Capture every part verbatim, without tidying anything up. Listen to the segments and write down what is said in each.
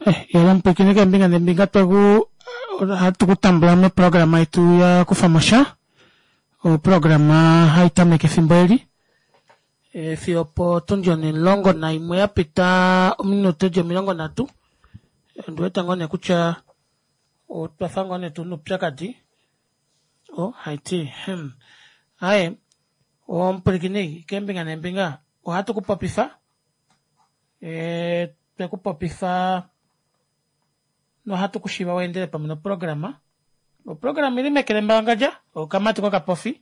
Iyolo omupwiikini keembinga neembinga tweku ohatu kutambula moprograma yetu yakufamosha oprograma haitameke efimbo eli fiyo opotundi onimulongo naimwe yapita ominute dili omilongo nhatu ondiwete ngoo nee kutya otwafa ngoo nee tuna oupyakadi oo haiti hmm aaye omupwilikini keembinga neembinga ohatu kupopifa ee twekupopifa nohatu kushiva weendele pamwe noprograma. Oprograma oili meke lembalangadja okamati kokapofi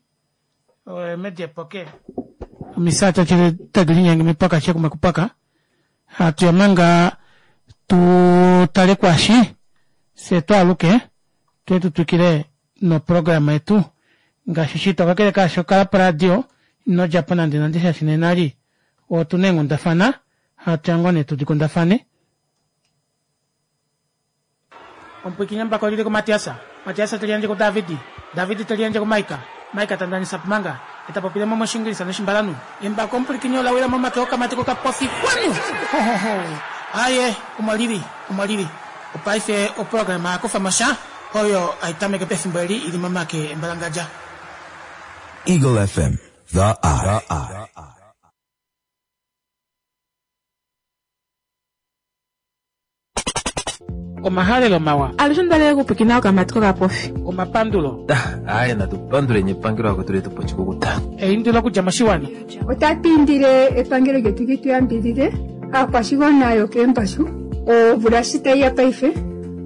medi epoke omisaati tadi linyenge mipaka shekume kupaka hatuya manga tutale kwaashi fyee twaaluke tuye tutwikile noprograma yetu ngaashi shito kakele kaasho kala poradio inodjapo nande nande shaashi nena eli otuna eenghundafana hatuya ngoo nee tudikundafane. Omupwiikini embako olili kuMatias, Matias teliyandje kuDavid, David teliyandje kuMaika, Maika tandanisa Pumanga, etapopile moshiingilisa noshimbalanhu. Embako omupwilikini ola wila momake okamati kokapofi kwanu! Hohoho! Aaye omo lili, omo lili. Opaife oprograma yakufamosha oyo haitameke pefimbo eli ili momake embalangadja. Eagle F M, The Eye. Omahalelo mawa. Alushe ondalele okupwiikina okamati kokapofi. Omapandulo. Aaye natu panduleni epangelo akwetu letu poshikukuta. Eindilo okudja moshiwana. Otatu indile epangelo lyetu li tu yambidhidhe aakwashigwana yokeembashu omvula shi tayi ya paife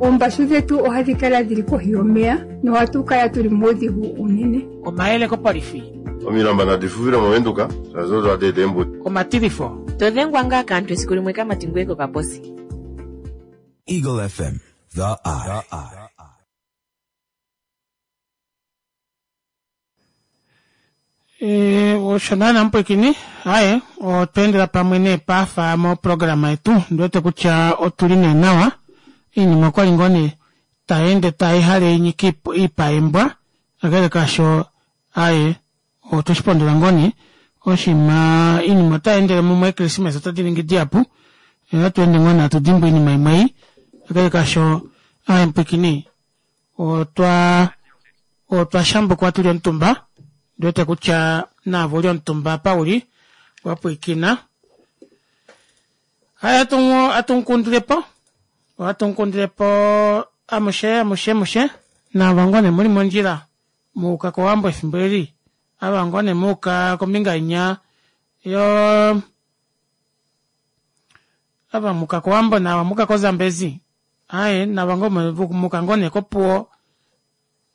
oombashu dhetu ohadhi kala dhili kohi yomeya nohatu kala tuli muudhigu uunene. Omayele kopolifi. Omilamba nadi fufile moVenduka shaashi odo hadi eta eembudi. Omatilifo. To dhengwa ngaa kaantu esiku limwe kamati ngweye kokaposi. Eagle F M, The Eye. Osho naana mupwiikini aaye otwa endela pamwe nee paafa moprograma yetu ondiwete kutya otuli nee nawa oinima okwali ngoo nee tayeende taihale inyike oipa yeembwa kakele kaasho aaye otweshipondola ngoo nee oshiima oinima otayeendele mumwe eechristmas ota diningi dihapu ohatu ende ngoo nee hatu dimbwa oinima imwe ei kakele kaasho aaye mupwiikini otwa otwa shambukwa tuli omutumba ondiwete kutya naave uli omutumba apa uli wapwiikina aaye ohatu mukundilepo ohatu mukundilepo amushe amushe amushe naava ngoo nee muli mondjila muuka kowambo efimbo eli ava ngoo nee muuka kombinga inya yoo ava muuka kowambo naava muuka ko zambezi aaye naava muuka ngoo nee kopuwo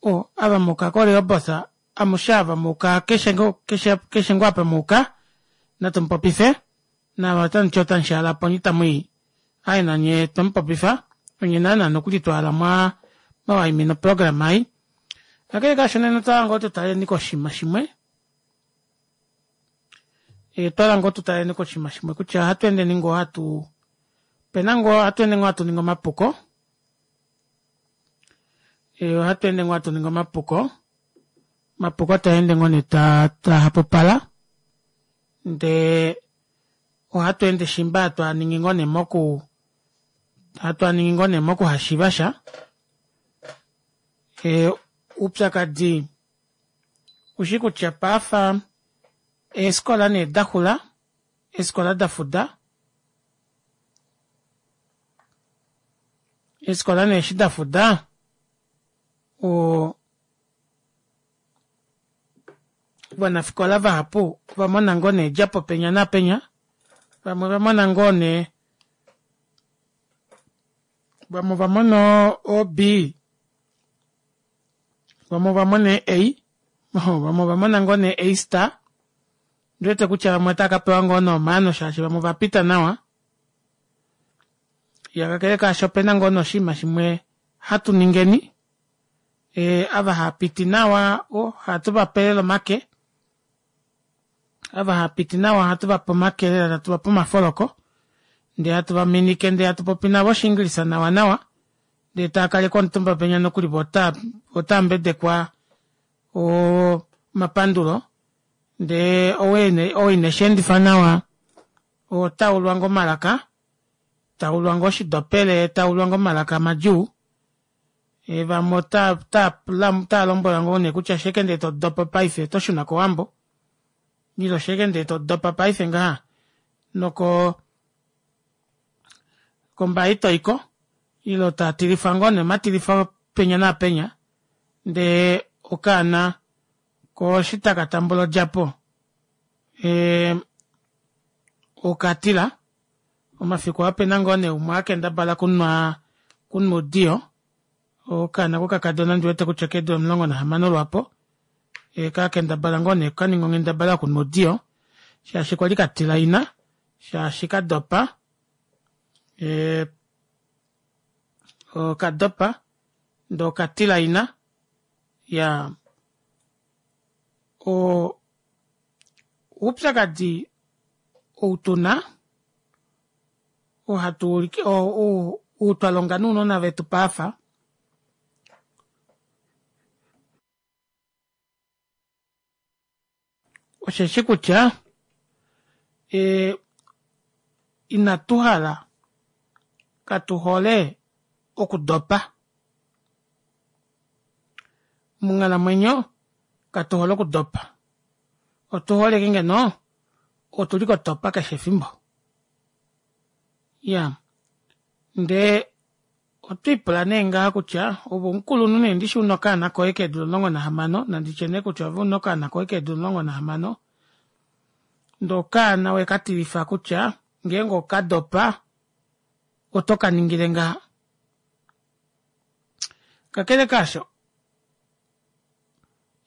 o ava muuka ko rehoboth amushe ava muuka keshe keshe ngoo apa muuka natumupopife naava otamuti otamushaalapo onye itamwii aaye nanye twemupopifa onye naana nokuli twahala mwaa mwawaimina oprograma ei. Kakele kaasho nena otwahala ngoo tutaleni koshinima shimwe otwahala ngoo tutaleni koshinima shimwe kutya ohatu endeni ngoo hatu opena ngoo ohatu ende ngoo hatu ningi omapuko ohatu ende ngoo hatu ningi omapuko omapuko taende ngoo nee taahapupala ndee ohatu ende shimba hatu aningi ngoo nee moku hatu aningi ngoo nee mokuhashiivasha oupyakadi ushi kutya paafa eefikola nee daxula eefikola dafuda eefikola nee eshi dafuda oo ovanafikola vahapu ovamona ngoo nee edjapo penya naapenya vamwe ovamona ngoo nee vamwe ovamona o B vamwe ovamona ee A vamwe ovamona ngoo nee A star ondiwete kutya vamwe otava kapewa ngoo nee omaano shaashi vamwe ovapita nawa iya kakele kaasho opena ngoo nee oshinima shimwe hatu ningeni ee ava haapiti nawa ohatu vape lela omake ava haapiti nawa ohatu vape omake lela hatu vape omafoloko ndee hatu vaminike ndee hatu popi navo oshiingilisa nawa nawa ndee taakalekwa omutumba penya nokuli voo otaambedekwa oo omapandulo ndee ou ineshendifa nawa otaulwa ngoo omalaka Taulwa ngoo oshidopele, taulwa ngoo omalaka madjuu vamwe otava lombwelwa ngoo nee kutya shenge ndee todopa paife otoshuna kowambo ile shenge ndee todopa paife ngaha noko kombaye itoyiko ile tatilifwa ngoo nee omatilifo penya naapenya ndee okaana koo eshi taka tambula odjapo ee okatila omafiku aa opena ngoo nee umwe akendabala okunwa oudiyo okaana kokakadona ondiwete kutya okeedula omulongo nahamano lwaapo kakendabala ngoo nee kaninga onghendabala yokunwa oudiyo shaashi kwali katila ina shaashi kadopa ee okadopa ndee okatila ina iyaa oo oupyakadi outuna oo hatuulike ou twalonga nounona vetu paife osheshi kutya ee inatuhala katuhole okudopa monghalamwenyo katuhole okudopa otuhole ashike ngeno otuli kotopa keshe efimbo iyaa ndee otwiipula nee ngaha kutya ove omukulunhu nee ndishi una okaana koye keedula omulongo nahamano nanditye nee kutya ove una okaana koye keedula omulongo nahamano ndee okaana owekatilifa kutya ngeenge okadopa oto kaningile ngaha kakele kaasho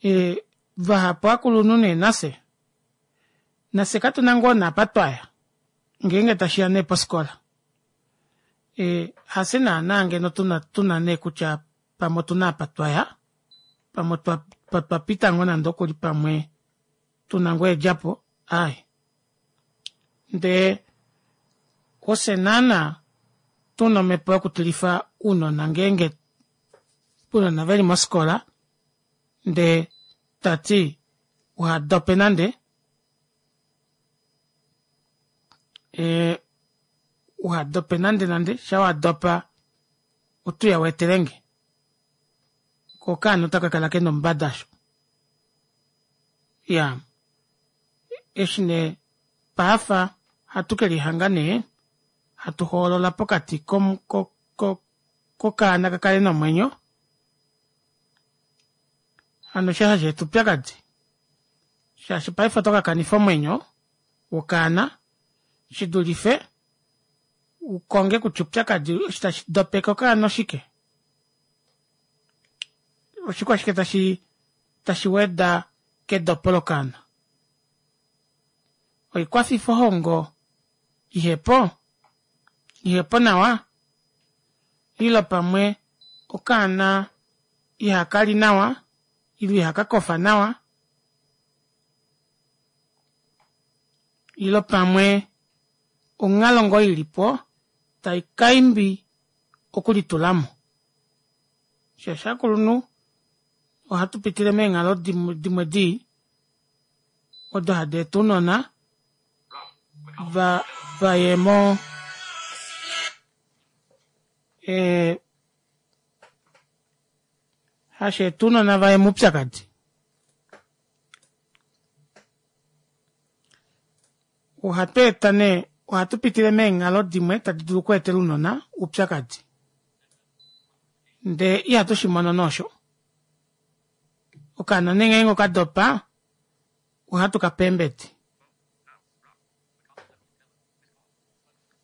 ee vahapu ovakulunhu nee nafye nafye katuna ngoo nee apa twaya ngeenge tashiya nee pofikola ee hafye naana ngeno tuna nee kutya pamwe otuna apa twaya pamwe otwapita ngoo nande okuli pamwe tuna ngoo eedjapo aaye ndee ofye naana tuna omepo yokutilifa ounona ngeenge ounona veli mofikola ndee tati uhadope nande ee uhadope nande nande shaa wadopa otouya weetelenge koo okaana otakakala kena oumbada aasho iyaa eshi nee paife ohatu kelihanga nee hatu hoolola pokati ko- ko kokaana kakale nomwenyo hano osho hasheeta oupyakadi shaashi paife otokakanifa omwenyo wokaana shidulife ukonge kutya oupyakadi osho tashi dopeke okaana oshike oshikwashike tashi tashi weda kedopo lokaana oikwafifohongo ihepo ihepo nawa ile pamwe okaana ihakali nawa ile ihakakofa nawa ile pamwe onghalo ngoo ilipo taikaimbi okulitulamo shaashi ovakulunhu ohatu pitile meenghalo dimwe dii odo hadeeta ounona vaye moo ee hasheeta ounona vaye moupyakadi ohatweeta nee ohatu pitile meenghalo dimwe tadi dulu okweetela ounona oupyakadi ndee ihatushimono nee osho okaana nee ngeenge okadopa ohatukape eembedi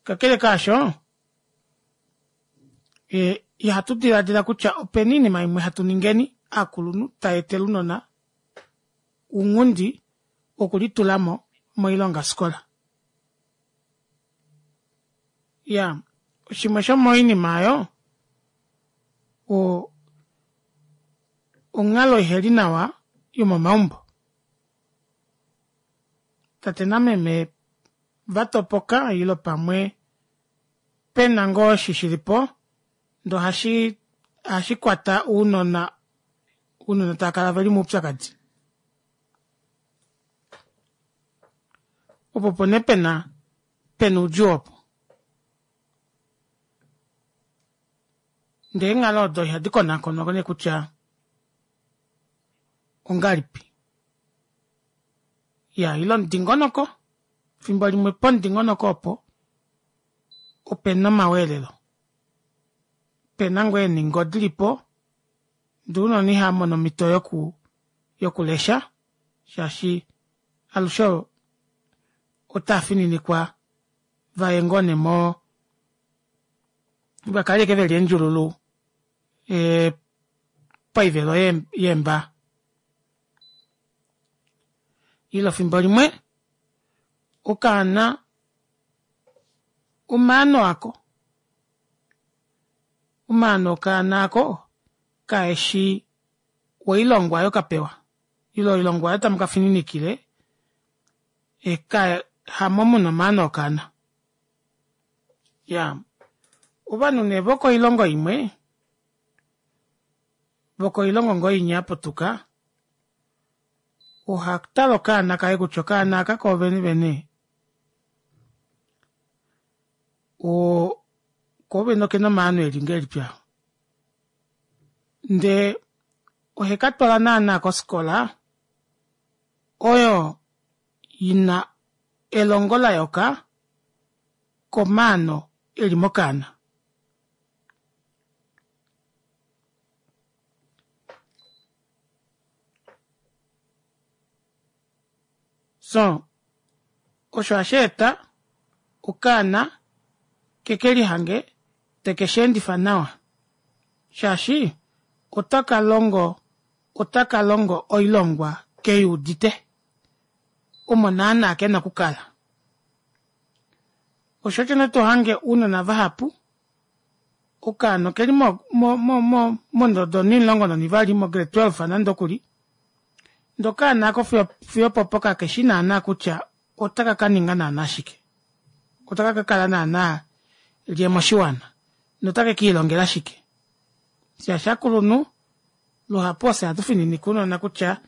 kakele kaasho ihatu dilaadila kutya opena oinima imwe hatu ningeni ovakulunhu tayeetele ounona ounghundi wokulitulamo moilongafikola iyaa shimwe shomoinima aayo oo onghalo iheli nawa yomomaumbo tate nameme vatopoka ile pamwe pena ngoo osho shilipo ndee ohashi ohashikwata ounona ounona taakala veli moupyakadi opo opo nee pena pena oudjuu opo Ndee eenghalo odo ihadi konakonwa nee kutya ongahelipi. Iyaa ile omudingonoko efimbo limwe pomudingonoko opo opena omaweelelo pena ngoo eeningo dilipo ndee ounona ihaamono omito yoku yokulesha shaashi alushe otaafininikwa vaye ngoo nee moo vakale ashike veli eendjululu ee poivelo yeembaa. Ile efimbo limwe okaana omaano ako omaano okaana aako kaeshi oilongwa aayo kapewa ile oilongwa aayo tamukafininikile hamo muna omaano okaana. Iyaa ovanhu nee vokoilongo imwe vokoilongo ngoo inya yaputuka ohatale okaana kaye kutya okaana aka koovene vene oo koovene okena omaano eli ngahelipi aa ndee ohekatwala naana kofikola oyo ina elongo layooka komaano eli mokaana. Soo osho ohasheeta okaana kekelihange tekesheendifa nawa shaashi otakalongo otakalongo oilongwa keyuudite omo naana kena okukala. Osho osho nee tohange ounona vahapu okaana okeli mo- mo- mondodo onimulongo nonivali mo grade twelve nande okuli ndee okaana aako fiyo opopo kakeshi naana kutya otaka kaninga naana shike otaka kakala naana lyee moshiwana notake kiilongela shike shaashi ovakulunhu luhapu ofye hatu fininike ounona kutya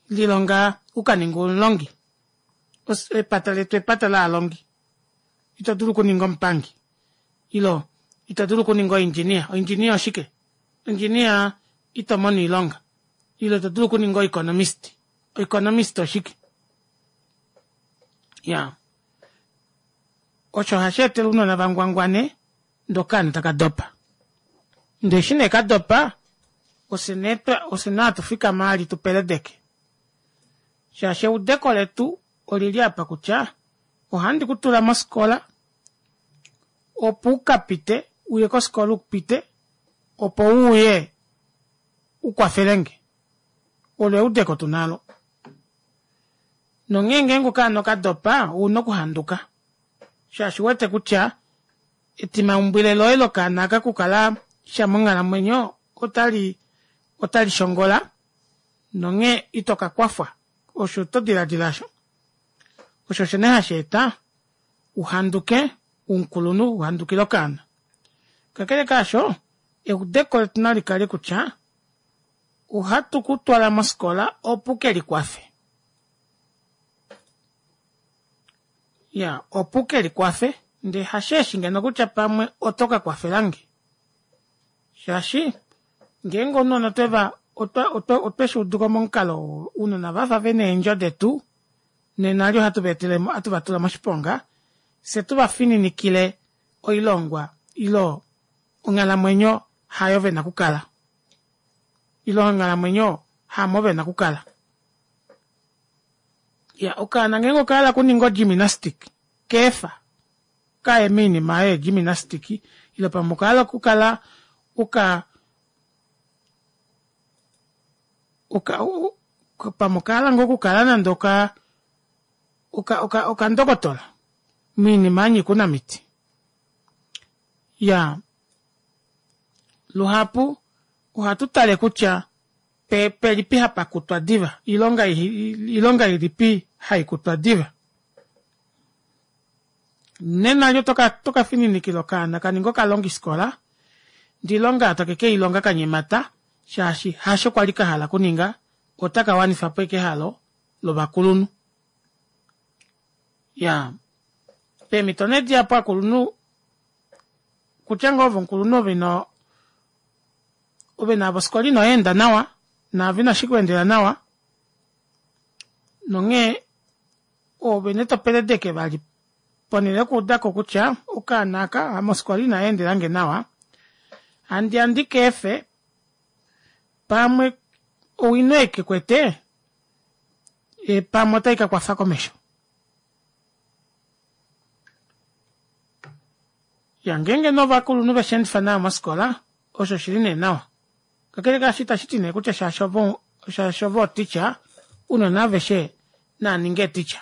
lilonga ukaninge omulongi epata letu epata lovalongi itodulu okuninga omupangi ile itodulu okuninga o engineer, o engineer oshike engineer itomono oilonga ile itodulu okuninga o economist, o economist oshike iyaa osho ohasheetele ounona vangwangwane ndee okaana takadopa ndee eshi nee kadopa ofye nee hatufikama vali tupeledeke shaashi eudeko letu olili aapa kutya ohandi kutula mofikola opo ukapite uye kofikola upite opo uuye ukwafelenge olo eudeko tuna aalo nonghee ngenge okaana okadopa ouna okuhanduka shaashi ouwete kutya etimaumbwile loye lokaana aaka okukala sha monghalamwenyo otali otali shongola nonghee itokakwafwa osho todilaadila aasho osho osho nee hasheeta uhanduke umukulunhu uhandukile okaana kakele kaasho eudeko letu nalikale kutya ohatu kutwala mofikola opo ukelikwafe iyaa opo ukelikwafe ndee hasheeshi ngeno kutya pamwe oto kakwafelange shaashi ngeenge ounona otweva otweshuuduko momukalo ou ounona ovafa vena eendjo detu nena eli ohatu vaetele ohatu vatula moshiponga fyee tuvafininikile oilongwa ile onghalamwenyo hayo vena okukala ile onghalamwenyo hamo vena okukala. Iyaa okaana ngeenge okahala okuninga o gymnastic keefa kaye moinima aayo yee gymnastic ile pamwe okahala okukala uka pamwe okahala ngoo okukala nande oka oka okandokotola moinima yanyika ounamiti iyaa luhapu ohatu tale kutya pelipi hapakutwa diva oilonga ilipi haikutwa diva nena oto kafininikila okaana kaninge okalongifikola ndee oilonga aayo take keilonga kanyemata shaashi hasho kwali kahala okuninga otaka wanifapo ashike ehalo lovakulunhu iyaa peemito nee dihapu ovakulunhu kutya ngoo ove omukulunhu ove ino Ove naavo ofikola inoyeenda nawa naave inashikweendela nawa nonghee oove nee topeledeke vali ponele yokuudako kutya okaana aaka ame ofikola inayendelange nawa handiya ndikeefe pamwe owino ei kekwete pamwe otaikakwafa komesho. Iyaa ngeenge nee ovakulunhu veshendifa nawa mofikola osho oshili nee nawa kakele kaasho itashiti nee kutya shaashi ove shaashi ove o teacher ounona aveshe naaninge ee teacher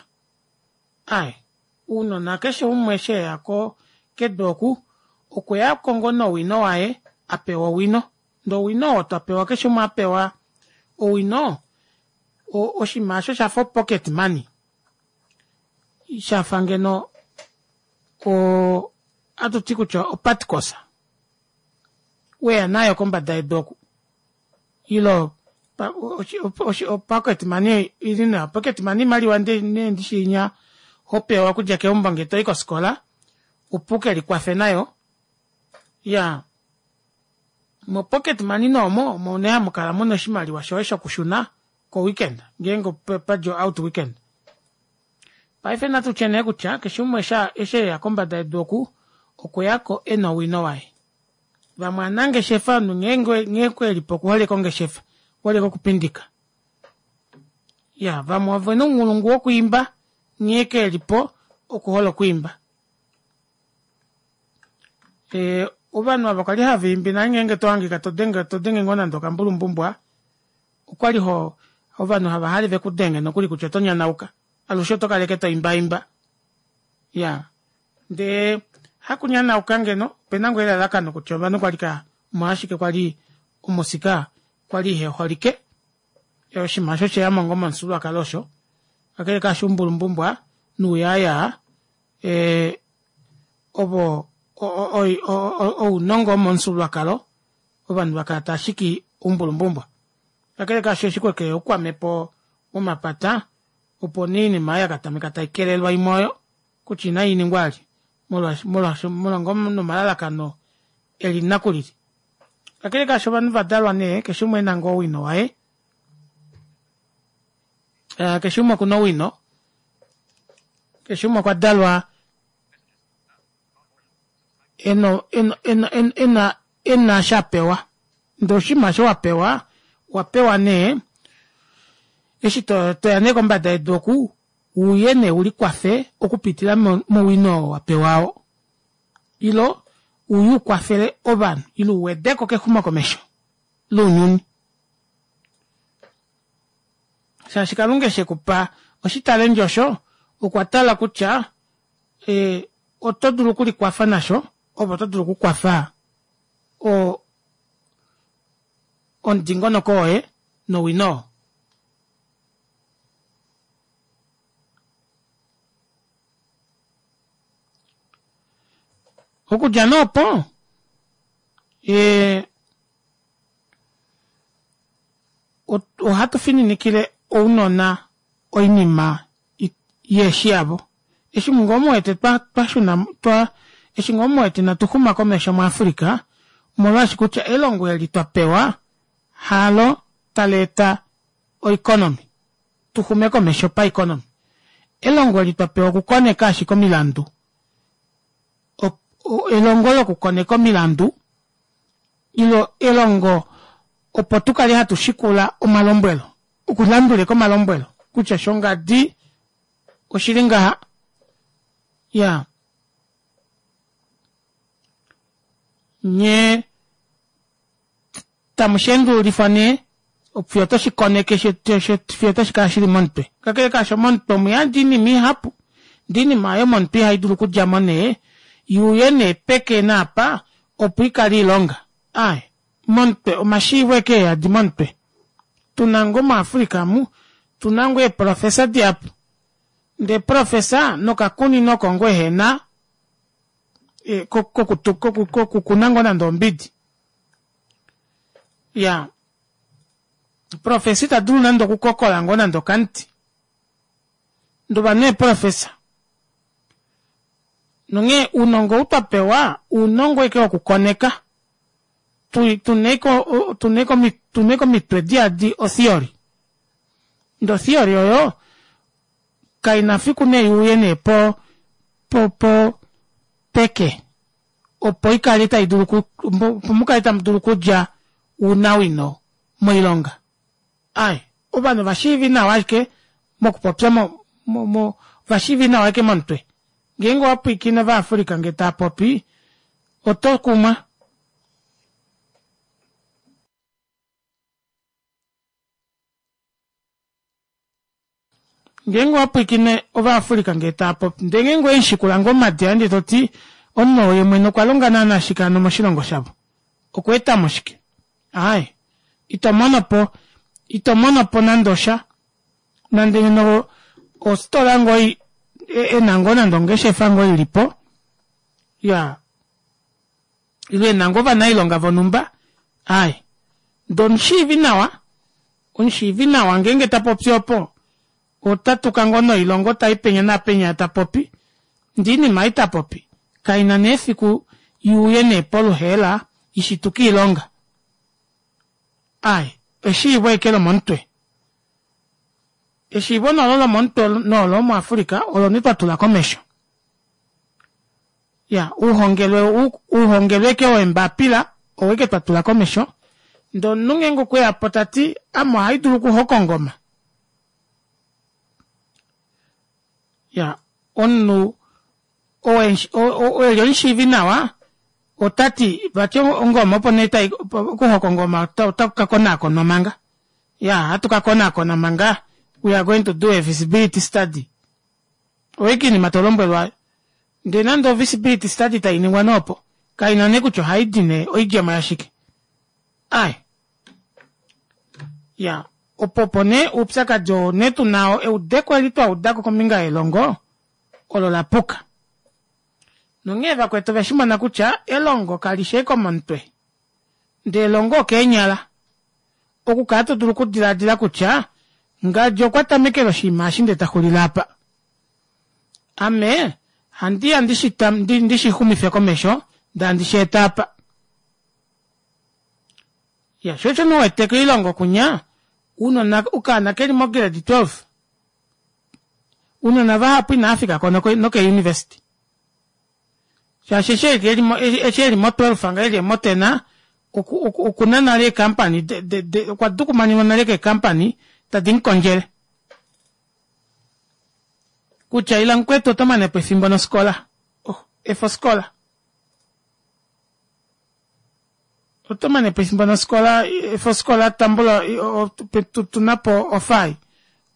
aaye ounona keshe umwe eshi eya kedu oku okweyako ngoo nowino waye apewa owino ndee owino oo twapewa keshe umwe apewa owino oshinima aasho oshafa o pocket money shafa ngeno oo ohatuti kutya opatkosa weya nayo kombada yedu oku ile o pocket money ilinawa pocket money oimaliwa nee ndishi inya hopewa okudja keumbo ngee toyi kofikola opo ukelikwafe nayo iyaa mo pocket money nee omo omo nee hamukala muna oshimaliwa shoye shokushuna ko weekend ngeenge opadja o out weekend. Paife natutye nee kutya keshe umwe eshi eya kombada yedu oku okweyako ena owino waye vamwe ovanangeshefa omunhu nghee ashike elipo okuhole ashike ongeshefa okuhole ashike okupindika iyaa vamwe ovena ounghulungu wokwiimba nghee ashike elipo okuhole okwiimba ee ovanhu aava kwali havaimbi nale ngenge tohangika todenge todenge ngoo nande okambulumbumbwa okwali hoo ovanhu havahale vekudenge nokuli kutya oto nyanauka alushe otokala ashike toimbaimba iyaa ndee hakunyanauka ngeno opena ngoo elalakano kutya ovanhu kwali omolwashike kwali omusika kwali iheholike oshinima aasho osheyamo ngoo momufyuululwakalo osho kakele kaasho oumbulumbumbwa nuuyaaya ee ovo ounongo womomufyuululwakalo ovanhu vakala taashiki oumbulumbumbwa kakele kaasho eshi kwekeya oukwamhepo womapata opo nee oinima aayo yakatameka taikelelwa imwe oyo kutya inainingwa vali molwaashi molwa ngoo nomalalakano elili nakulili kakele kaasho ovanhu ovadalwa nee keshe umwe ena ngoo owino waye keshe umwe okuna owino keshe umwe okwadalwa ena ena ena ena eshi apewa ndee oshinima aasho wapewa owapewa nee eshi toya nee kombada yedu oku uye nee ulikwafe okupitila mowino oo wapewa oo ile uye ukwafele ovanhu ile uwedeko kexumokomesho lounyuni shaashi kalunga eshi ekupa oshitalenti osho okwatala kutya ee oto dulu okulikwafa nasho ove oto dulu okukwafa oo omudingonoko woye nowino oo. Okudja nee opo ee ohatu fininikile ounona oinima ihefi yavo eshi ngoo muwete twashuna twa eshi ngoo muwete ina tuxuma komesho mu africa omolwaashi kutya elongo eli twapewa halo taleeta o economy tuxume komesho pa economy elongo eli twapewa okukoneka ashike omilandu elongo lokukoneka omilandu ile elongo opo tukale hatu shikula omalombwelo okulandula ashike omalombwelo kutya shongadi oshili ngaha iyaa nyee tamusheendululifwa nee fiyo otoshikoneke fiyo otashikala shili momutwe kakele kaasho momutwe omuyadi oinima ihapu ndee oinima aayo momutwe ihaidulu okudjamo nee yuuye nee peke naapa opo ikale ilonga aaye momutwe omashiivo ashike eyadi momutwe tuna ngoo mu africa amu tuna ngoo eeprofessor dihapu ndee professor nokakunino oko ngoo ehena kokukuna ngoo nande ombidi iyaa professor itadulu nande okukokola ngoo nande okamuti ndee ovanhu eeprofessor nonghee ounongo ou twapewa ounongo ashike wokukoneka tuna komitwe diyadi otheory ndee otheory oyo kaina fiku nee iuye nee po po po peke opo ikale taidulu opo mukale tamudulu okudja ounawino moilonga ai ovanhu ovashiivi nawa ashike mokupopya mo mo ovashiivi nawa ashike momutwe ngeenge owapwiikine ova africa ngee taapopi otokumwa ngeenge owapwiikine ova africa ngee taapopi ndee ngeenge owemushikula ngoo omumati ndee toti omunhu ou yemwene okwalonga naana shike hano moshilongo shavo okwa etamo shike aaye itomonopo itomonopo nande osha nande ngeno ofitola ngoo ena ngoo nande ongeshefa ngoo ilipo iyaa ile ena ngoo ovanailonga vonumba aaye ndee omushiivi nawa omushiivi nawa ngeenge tapopi opo otatuka ngoo noilongo tayi penya naapenya tapopi ndee oinima ei tapopi kaina nee fiku iuye nee poluheela ishituke oilonga aaye eshiivo ashike lomomutwe eshiivo nee olo lomomutwe nolo mu africa olo nee twatula komesho iyaa ouhongelwe ouhongelwe ashike weembapila oo ashike twatula komesho ndee omunhu ngeenge okweyapo tati ame ohaidulu okuhoka ongoma iyaa omunhu oo eli omushiivi nawa otati vati ongoma opo nee okuhoka ongoma ota kukakonaakonwa manga iyaa ohatu kakonaakona manga we are going to do a visibility study oyo ashike oinima tolombwelwa aayo ndee nande o visibility study tainingwa nee opo kaina nee kutya ohaidi nee oidjemo yashike aaye iyaa opo opo nee oupyakadi oo nee tuna eudeko eli twaudako kombinga yelongo olo lapuka nonghee vakwetu oveshimona kutya elongo kalishi ashike omomutwe ndee elongo okeenyala okukala todulu okudilaadila kutya ngadi okwa tamekele oshinima eshi ndee taxulile aapa ame handiya ndishixumife komesho ndee handi sheeta aapa iya shoo osho nee uwete koilongo kunya ounona okaana keli mo grade twelve ounona vahapu inaafikako noke university shaashi eshi eli mo twelve ngaho eli mo ten okuna nale ee company okwa dukumanenwa nale kee company tadi mukondjele kutya ila mukwetu oto manepo efimbo nofikola oh efa ofikola oto manepo efimbo nofikola efa ofikola tambula tunapo ofai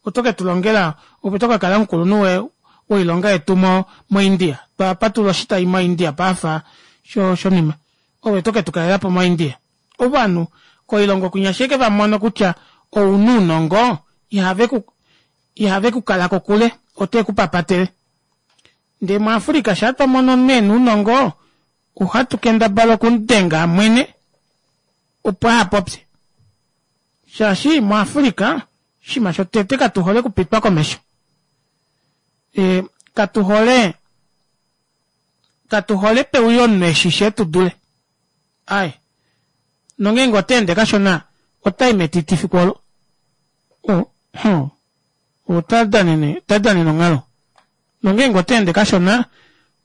oto ketulongela ove oto kakala omukulunhu woilonga yetu mo mo india twapatulula oshitai mo india paife shonima ove oto ketukalelapo mo india ovanhu koilongo kwinya eshi ashike vamono kutya ouna ounongo ihaveku ihavekukala kokule otevekupapatele ndee mu africa shaa twamono omunhu ena ounongo ohatu kendabala okumudenga amwene opo ahapopye shaashi mu africa oshinima shotete katuhole okupitwa komesho ee katuhole katuhole peuye omunhu eshishi etudule aaye nongeenge otaende kashona otai metiti efiku olo oh otadanene otadanene onghalo nongeenge otaende kashona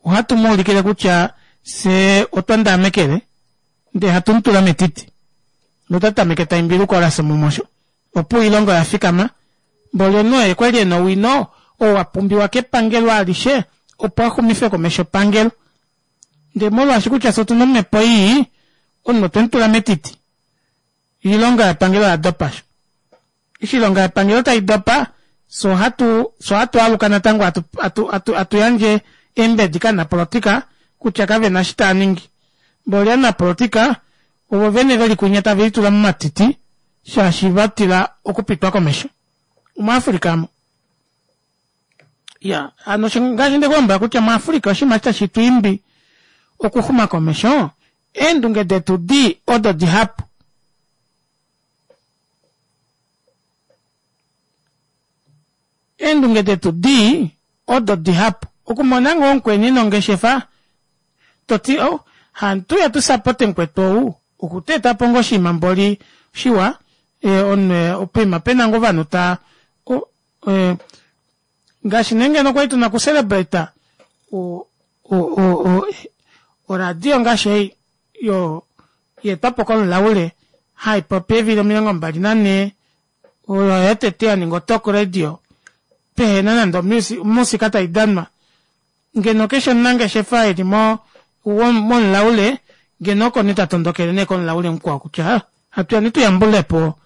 ohatu muulikile kutya fyee otwa ndaamekele ndee hatu mutula metiti notatameke taimbile oukolasa mumosho opo oilonga oyafikama mboli omunhu oye kwali ena owino oo wapumbiwa kepangelo alishe opo axumife komesho epangelo ndee molwaashi kutya fyee otuna omepo ii omunhu otwemutula metiti oilonga yepangelo oyadopa aasho eshi oilonga yepangelo taidopa fyee ohatu fyee ohatu aluka natango atu atu atuyandje eembedi kovanapolotika kutya kavena eshi taaningi mboli ovanapolotika ovo vene veli kunya tavelitula momatiti shaashi vatila okupitwa komesho omu africa aamo iya hano ngaashi ndekulombwela kutya mu africa oshinima eshi tashi twiimbi okuxuma komesho eendunge detu dii odo dihapu eendunge detu dii odo dihapu okumona ngoo mukweni nongeshefa toti oh hantuya tusapote mukwetu ou Okuteetapo ngoo oshinima mboli shiwa omunhu poima pena ngoo ovanhu taa ngaashi nee ngeno okwali tuna oku celebrate oradio ngaashi ei yaetwapo komulaule haipopi eevili omilongo mbali nanhee oyo yotete yaninga o talk radio pehena nande omusika taidanwa ngeno keshe omunangeshefa eli mo momulaule ngeno oko nee tatondokele nee komulaule mukwao kutya hatuyeni tuyambulepo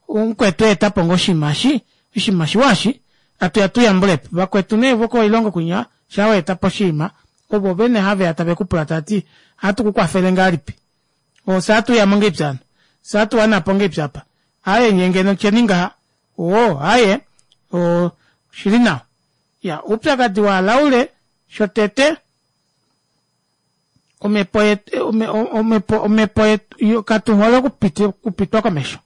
mukwetu aetapo ngoo oshinima eshi oshinima oshiwa eshi hatuya tuyambulepo vakwetu nee vokoilongo kwinya shaa waetapo oshinima ovo vene haveya tavekupula taati ohatu kukwafele ngahelipi ofye ohatuyamo ngahelipi hano fyee ohatuwanapo ngahelipi aapa aaye nyee ngeno tyeni ngaha oo aaye oshili nawa iyaa oupyakadi wavalaule shotete omepo omepo omepo katuhole okupitwa komesho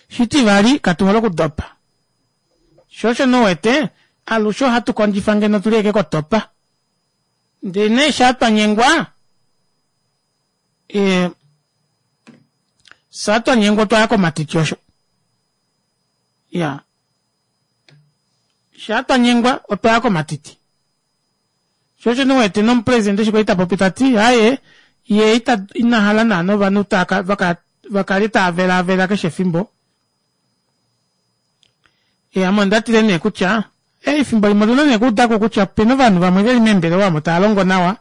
shitivali katuhole okudopa shoo osho nee uwete alushe ohatu kondjifa ngeno tuli ashike kotopa ndee nee shaa twanyengwa ee shaa twanyengwa otwaya komatiti osho iyaa shaa twanyengwa otwaya komatiti shoo osho nee uwete nomupresident eshi kwali tapopi tati aaye yee inahala naana ovanhu vakale taavelaavela keshe efimbo ame ondatile nee kutya efimbo limwe otuna nee okuudako kutya opena ovanhu vamwe veli meembelewa omo taalongo nawa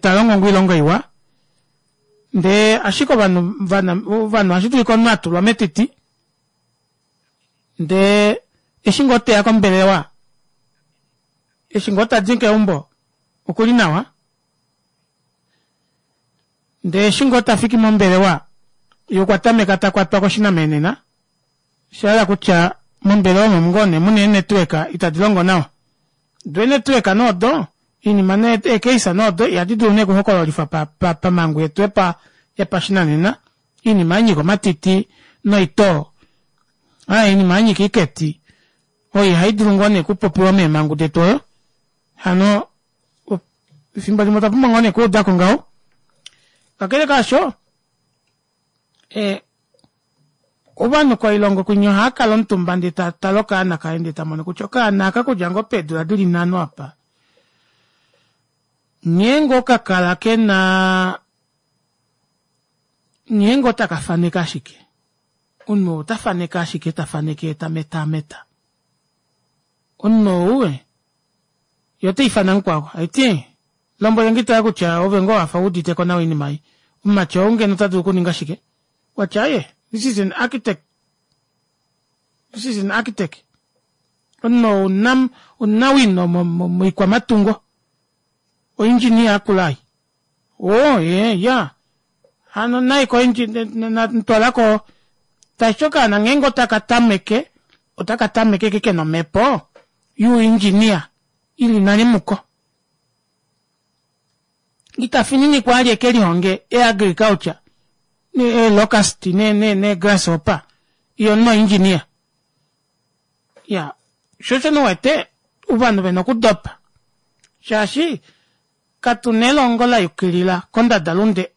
taalongo ngoo oilonga iwa ndee ashike ovanhu ovanhu ohashidulika omunhu atulwa metiti ndee eshi ngoo teya kombelewa eshi ngoo tadi keumbo okuli nawa ndee eshi ngoo tafiki mombelewa yee okwa tameka takwatwa koshinamenena oshahala kutya mombelewa omo ngoo nee muna ee network itadi longo nawa doo ee network nee odo oinima nee ee case nee odo ihadi dulu nee okuhokololifwa pamangu yetu yopashinanena oinima yanyika omatiti noitoo aaye oinima yanyika oiketi oyo ihaidulu ngoo nee okupopiwa meemangu detu oyo hano efimbo limwe otwa pumbwa ngoo nee okuudako ngaho kakele kaasho ee ovanhu koilongo kwinya ohaakala omutumba ndee tatale okaana kaye ndee tamono kutya okaana aka okudja ngoo peedula dili nhano apa nghee ngoo kakala kena nghee ngoo taka faneke ashike omunhu ota faneke ashike tafaneke yee tametameta omunhu ou yee otaifana mukwao haiti lombwelenge tale kutya ove ngoo wafa wuuditeko nawa oinima ei omumati ou ngeno otadulu okuninga shike okwati aaye this is an architect this is an architect omunhu ou omunawino moikwamatungo o engineer yakula ei oo ee iyaa hano naye ko twalako tashiti okaana ngeenge otaka tameke otaka tameke ashike kena omepo you engineer ili nale muko itafininikwa vali ekelihonge e agriculture ee locust nee grasshopper yee omunhu o engineer iyaa shoo osho nee uwete ovanhu vena okudopa shaashi katuna elongo layukilila kondada lunde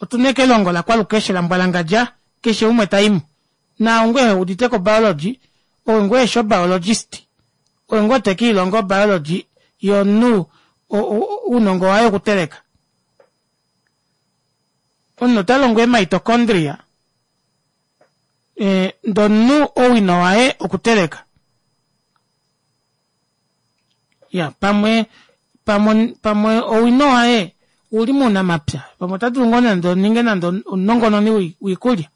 otuna ashike elongo lakwalukeshe lambwalangadja keshe umwe taimo naau ngoo eheuditeko o biology oye ngoo eheshi o biologist oye ngoo tekiilonga o biology yee omunhu ounongo waye okuteleka omunhu otalongwa ee mitochondria ndee omunhu owino waye okuteleka iya pamwe pamwe pamwe owino waye ouli mounamapya pamwe otadulu ngoo nande oninge nande omunongononi woikulya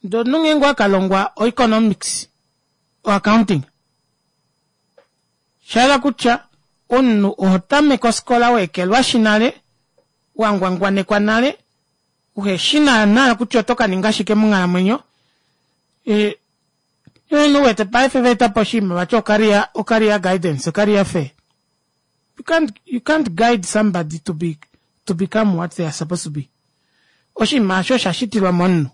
ndee omunhu ngeenge owakalongwa o economics o accounting oshahala kutya omunhu ohotameke ofikola waekelwashi nale wangwangwanekwa nale uheshi naana kutya oto kaninga shike monghalamwenyo uwete paife vaetapo oshinima vati o career guidance o career fair you can't, you can't guide somebody to be to become what they are supposed to be oshinima aasho osha shitilwa momunhu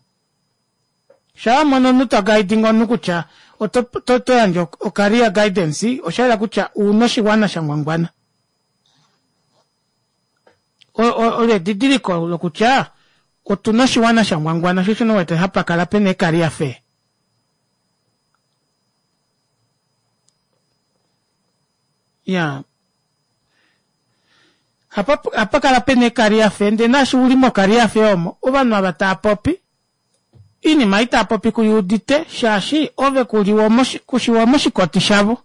shaa wamono omunhu toguiding omunhu kutya oto yandje o career guidance oshayela kutya ouna oshiwana shangwangwana Olo edidiliko lokutya otuna oshiwana shangwangwana sho osho wete hapa kala pena eekariafe. Iyaa hapa kala pena eekariafe ndee naashi uli mokariafe omo ovanhu ava taapopi oinima ei taapopi kuyuudite shaashi ove kushiwo moshikoti shavo.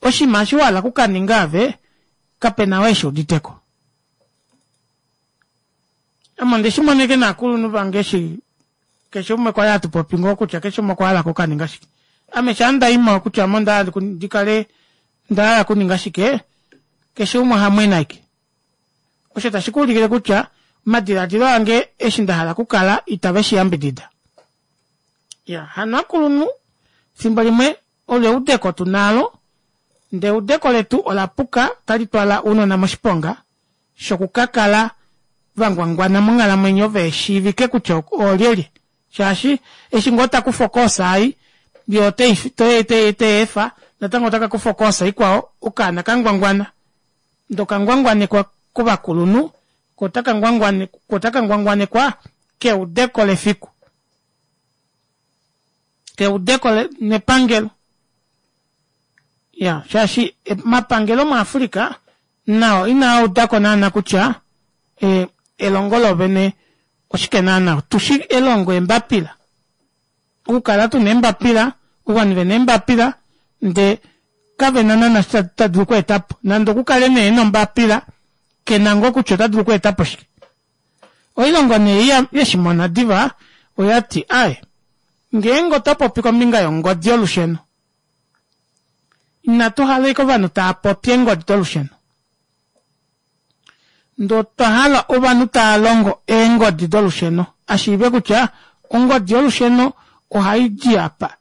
Oshiima eshi wahala okukaninga aave kapena ou eshuuditeko. Ame ondeshimona ashike novakulunhu vange eshi keshe umwe kwali hatupopi ngoo kutya keshe umwe okwahala okukaninga shike. Ame shaandaimo kutya ame ondahala ndikale ondahala okuninga shike keshe umwe ohamwene ashike. Osho tashikuulikile kutya omadilaadilo ange eshi ndahala okukala itave shiyambidida. Iyaa hano ovakulunhu efimbo limwe olo eudeko tunalo ndee eudeko letu olapuka ota litwala ounona moshiponga shokukakala vangwangwana monghalamwenyo veheshiivike kutya oolyelye shaashi eshi ngoo takufa o course ei yee oteyeefa natango otakakufa o course ikwao okaana kangwangwana ndee okangwangwanekwa kovakulunhu koo otaka ngwangwanekwa keudeko lefiku keudeko nepangelo iyaa shaashi omapangelo mu africa nao inaaudako naana kutya elongo loovene oshike naana otushi elongo eembapila okukala tuna eembapila ovanhu vena eembapila ndee kavena naana eshi tadulu okweetapo nande okukale nee ena ombapila kena ngoo kutya otadulu okweetapo shike. Oilongo nee ei yeshimona diva oyati aaye ngeenge otopopi kombinga yongodi yolusheno inatu hala ashike ovanhu taapopi eengodi dolusheno ndee otwa ovanhu taalongo eengodi dolusheno ashiive kutya ongodi yolusheno ohaidi aapa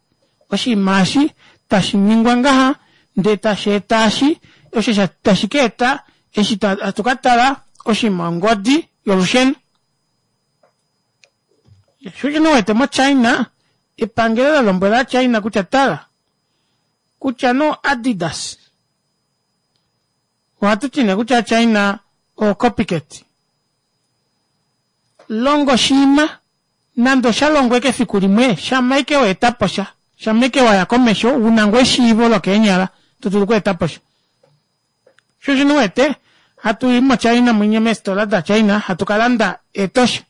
oshinima eshi tashiningwa ngaha ndee tasheeta eshi osho tashikaeta eshi hatu katala oshinima ongodi yolusheno. Shoo osho nee uwete mo china epangelo lalombwela ova china kutya tala kutya nee o adidas ohatuti nee kutya ova china oo copycat longa oshiima nande oshalongwa ashike efiku limwe shama ashike waetaposha shama ashike waya komesho una ngoo eshiivo lokeenyala todulu okweetaposha. Shoo osho nee uwete hatui mo china mwinya meefitola da china hatu kalanda eetoshe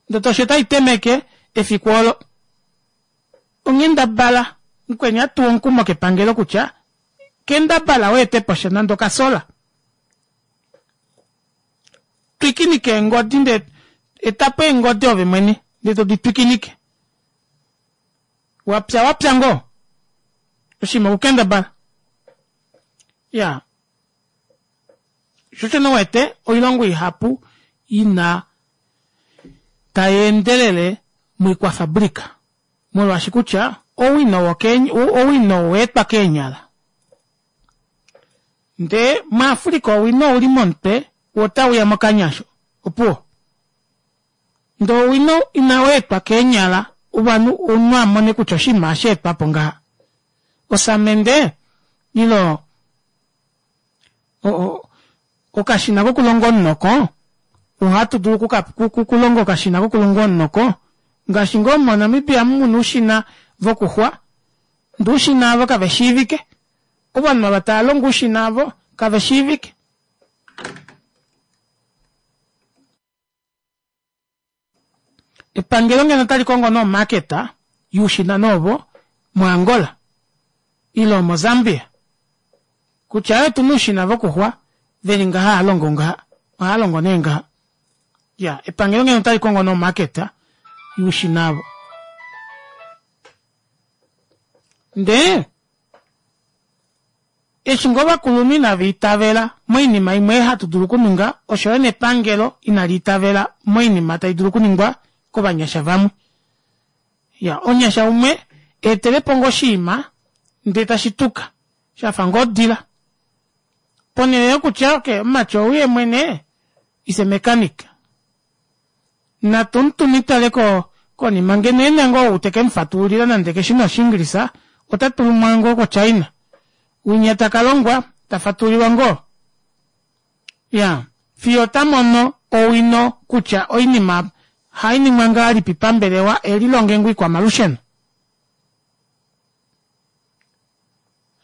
ndee otoshe otaiteme ashike efiku oolo onghendabala mukweni ohatuwa omukumo kepangelo kutya kendabala weeteposha nande okasola twikinike eengodi ndee etapo eengodi ove mwene ndee todi twikinike wapya wapya ngoo oshinima okukendabala iyaa shoo osho nee uwete oilongo ihapu ina tayeendelele moikwafabrica molwaashi kutya owino owino owaetwa keenyala ndee mu africa owino ouli momutwe woo otauya mokanya aasho opuwo ndee owino inaweetwa keenyala ovanhu omunhu amone kutya oshinima ohasheetwapo ngaha osamende ile okashina kokulonga omunoko ohatudulu okulonga okashina kokulonga omunoko ngaashi ngoo mo namibia omu muna oushina vokuxwa ndee oushina aavo kaveshiivike ovanhu ava tavalongo oushina aavo kaveshiivike. Epangelo ngeno otalikongo nee omarket youshina nee ovo mo angola ile mo zambia kutya aaye otuna oushina vokuxwa veli ngaha haalongo ngaha ohaalongo nee ngaha iyaa epangelo ngeno otalikongo nee omarket youshina aavo ndee eshi ngoo ovakulunhu inava itavela moinima imwe ei hatu dulu okuninga oshoyo nepangelo inaliitavela moinima taidulu okuningwa kovanyasha vamwe. Iyaa omunyasha umwe eetelepo ngoo oshiima ndee tashituka shafa ngoo odila ponele yokutya okey omumati ou yeemwene is a mechanic natumutume twale konima ngeno ena ngoo ou tekemufatululila nande keshi nee oshingilisa ota tumwa ngoo ko china winya takalongwa tafatululilwa ngoo Ya fiyo ta mono owino kutya oinima ohainingwa ngahelipi pambelewa elilonge ngoo oikwamalusheno.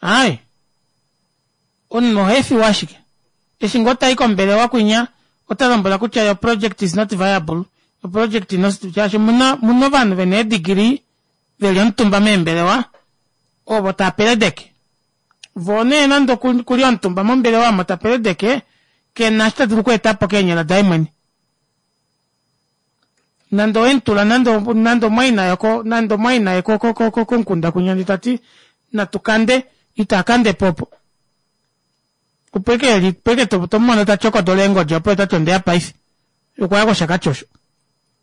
Aaye omunhu ohaefiwa ashike eshi ngoo tai kombelewa kwinya otalombwelwa kutya your project is not viable your project is shaashi omuna omuna ovanhu vena ee degree veli omutumba meembelewa ovo taapeledeke voo nee nande okuli omutumba mombelewa omo tapeledeke kena eshi tadulu okweetapo keenyala daye mwene nande owemutula nande nande omumwaina yoko nande omumwaina komukunda kwinya ndee tati natukande itakandepo opo opo ashike eli opo ashike tomumono tatyokodola eengodi opo tati ondeya paife okwaya koshakati osho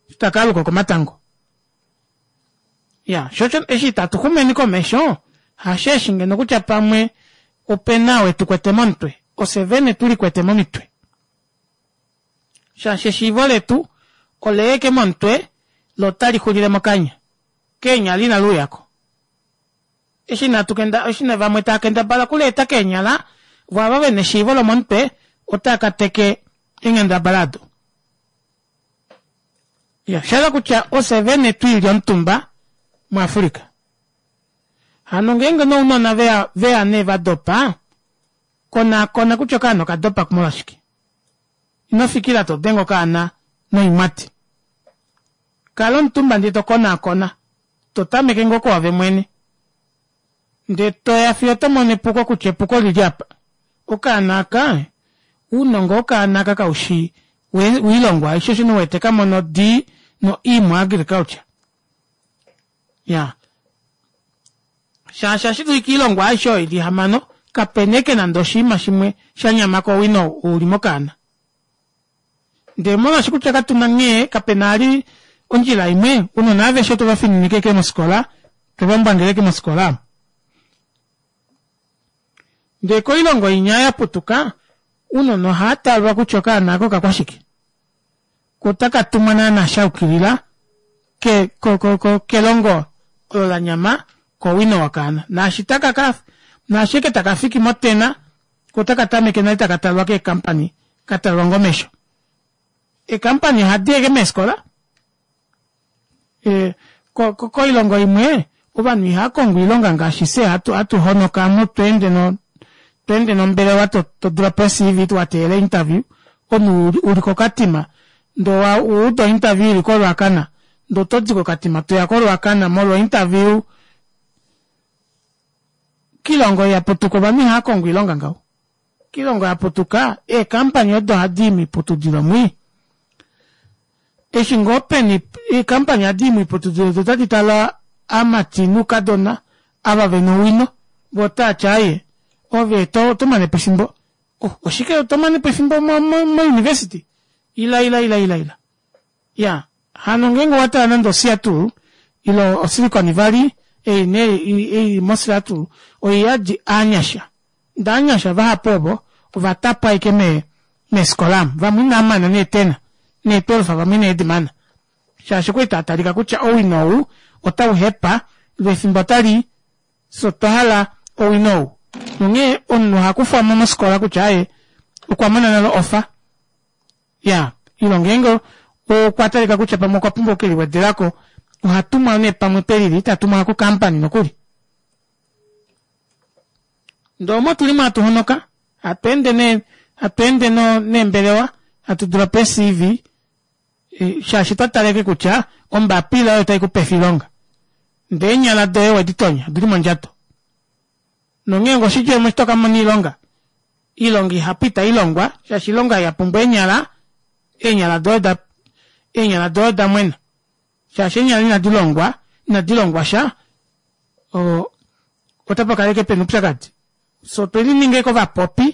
eshi takaaluka okomatango iyaa shoo osho eshi itatu xumeni komesho hasheeshi ngeno kutya pamwe opena ou etukwete momutwe ofye vene tulikwete momitwe shaashi eshiivo letu oleya ashike momutwe loo otalixulile mokanya keenyala inaluuyako eshi inatu kenda eshi vamwe taakendabala okuleeta keenyala voo ava vena eshiivo lomomutwe otaakateke eenghendabala aado iya oshahala kutya ofye vene twiilya omutumba mu africa hano ngeenge nee ounona veya veya nee vadopa konaakona kutya okaana okadopa molwashike inofikila todenge okaana noimwati kala omutumba ndee tokonaakona totameke ngoo kwoove mwene ndee toya fiyo otomono epuko kutya epuko olili aapa okaana aaka ounongo wokaana aaka kaushi woilongwa aishe shoo osho nee uwete kamona o d no e mo agriculture iyaa shaashi ohashidulika oilongwa aishe oyo ili ihamano kapena ashike nande oshiima shimwe shanyama kowino ou uli mokaana ndee molwaashi kutya katuna nghee kapena vali ondjila imwe ounona aveshe otwe vafininika ashike mofikola twevambwangela ashike mofikola aamo ndee koilongo inya yaputuka ounona ohaatalwa kutya okaana aaka okakwashike koo otakatumwa naana shayukilila ke ko ko kelongo olo lanyama kowino wokaana naashi takaka naashi ashike takafiki mo ten koo otakatameke nale taka talwa kee company katalwa ngoo omesho ee company ohadiya ashike meefikola ee koilongo imwe ovanhu ihaakongo oilonga ngaashi fyee hatu hatu honoka omu tweende tweende nombelewa todulapo ee cv wateelela interview omunhu uli ko katima ndee owauda o interview ili ko ruacana ndee otodi ko katima toya ko ruacana molwo interview koilongo ei yaputuka ovanhu ihaakongo oilonga ngaho koilongo yaputuka ee company odo hadii moiputudilo mwii eshi ngoo peni ee company ohadii moiputudilo doo otadi tale aamati noukadona ava vena owino voo otaati aaye ove otomanepo efimbo oh oshike tomanepo efimbo mo mo university ila ila ila ila iyaa hano ngeenge owatale nande o seattle ile o silicon valley ei nee ili mo seattle oiyadi ovanyasha ndee ovanyasha vahapu ovo ovatapwa ashike mee meefikola aamo vamwe inavamana nee ten nee twelve vamwe inedimana shaashi okwali taatalika kutya owino ou otauhepa loo efimbo otalii fyee otwahala owino ou onghee omunhu ohakufwamo mofikola kutya aaye okwamona nale offer iyaa ile ngeenge okwa talika kutya pamwe okwa pumbwa oku keliwedelako ohatumwa nee pamwe pelili tatumwa ko company nokuli ndee omo tulimo hatu honoka hatweende nee hatweende neembelewa hatu tulapo ee cv shaashi twatala ashike kutya ombapila oyo taikupe oilonga ndee eenyala doye oweditonya odili mondjato nongeenge oshidjemo eshi tokamona oilonga oilonga ihapu itailongwa shaashi oilonga yapumbwa eenyala eenyala doye oda eenyala doye odamwena shaashi eenyala inadilongwa inadilongwasha oo otapakala ashike pena oupyakadi fyee otwelininga ashike ovapopi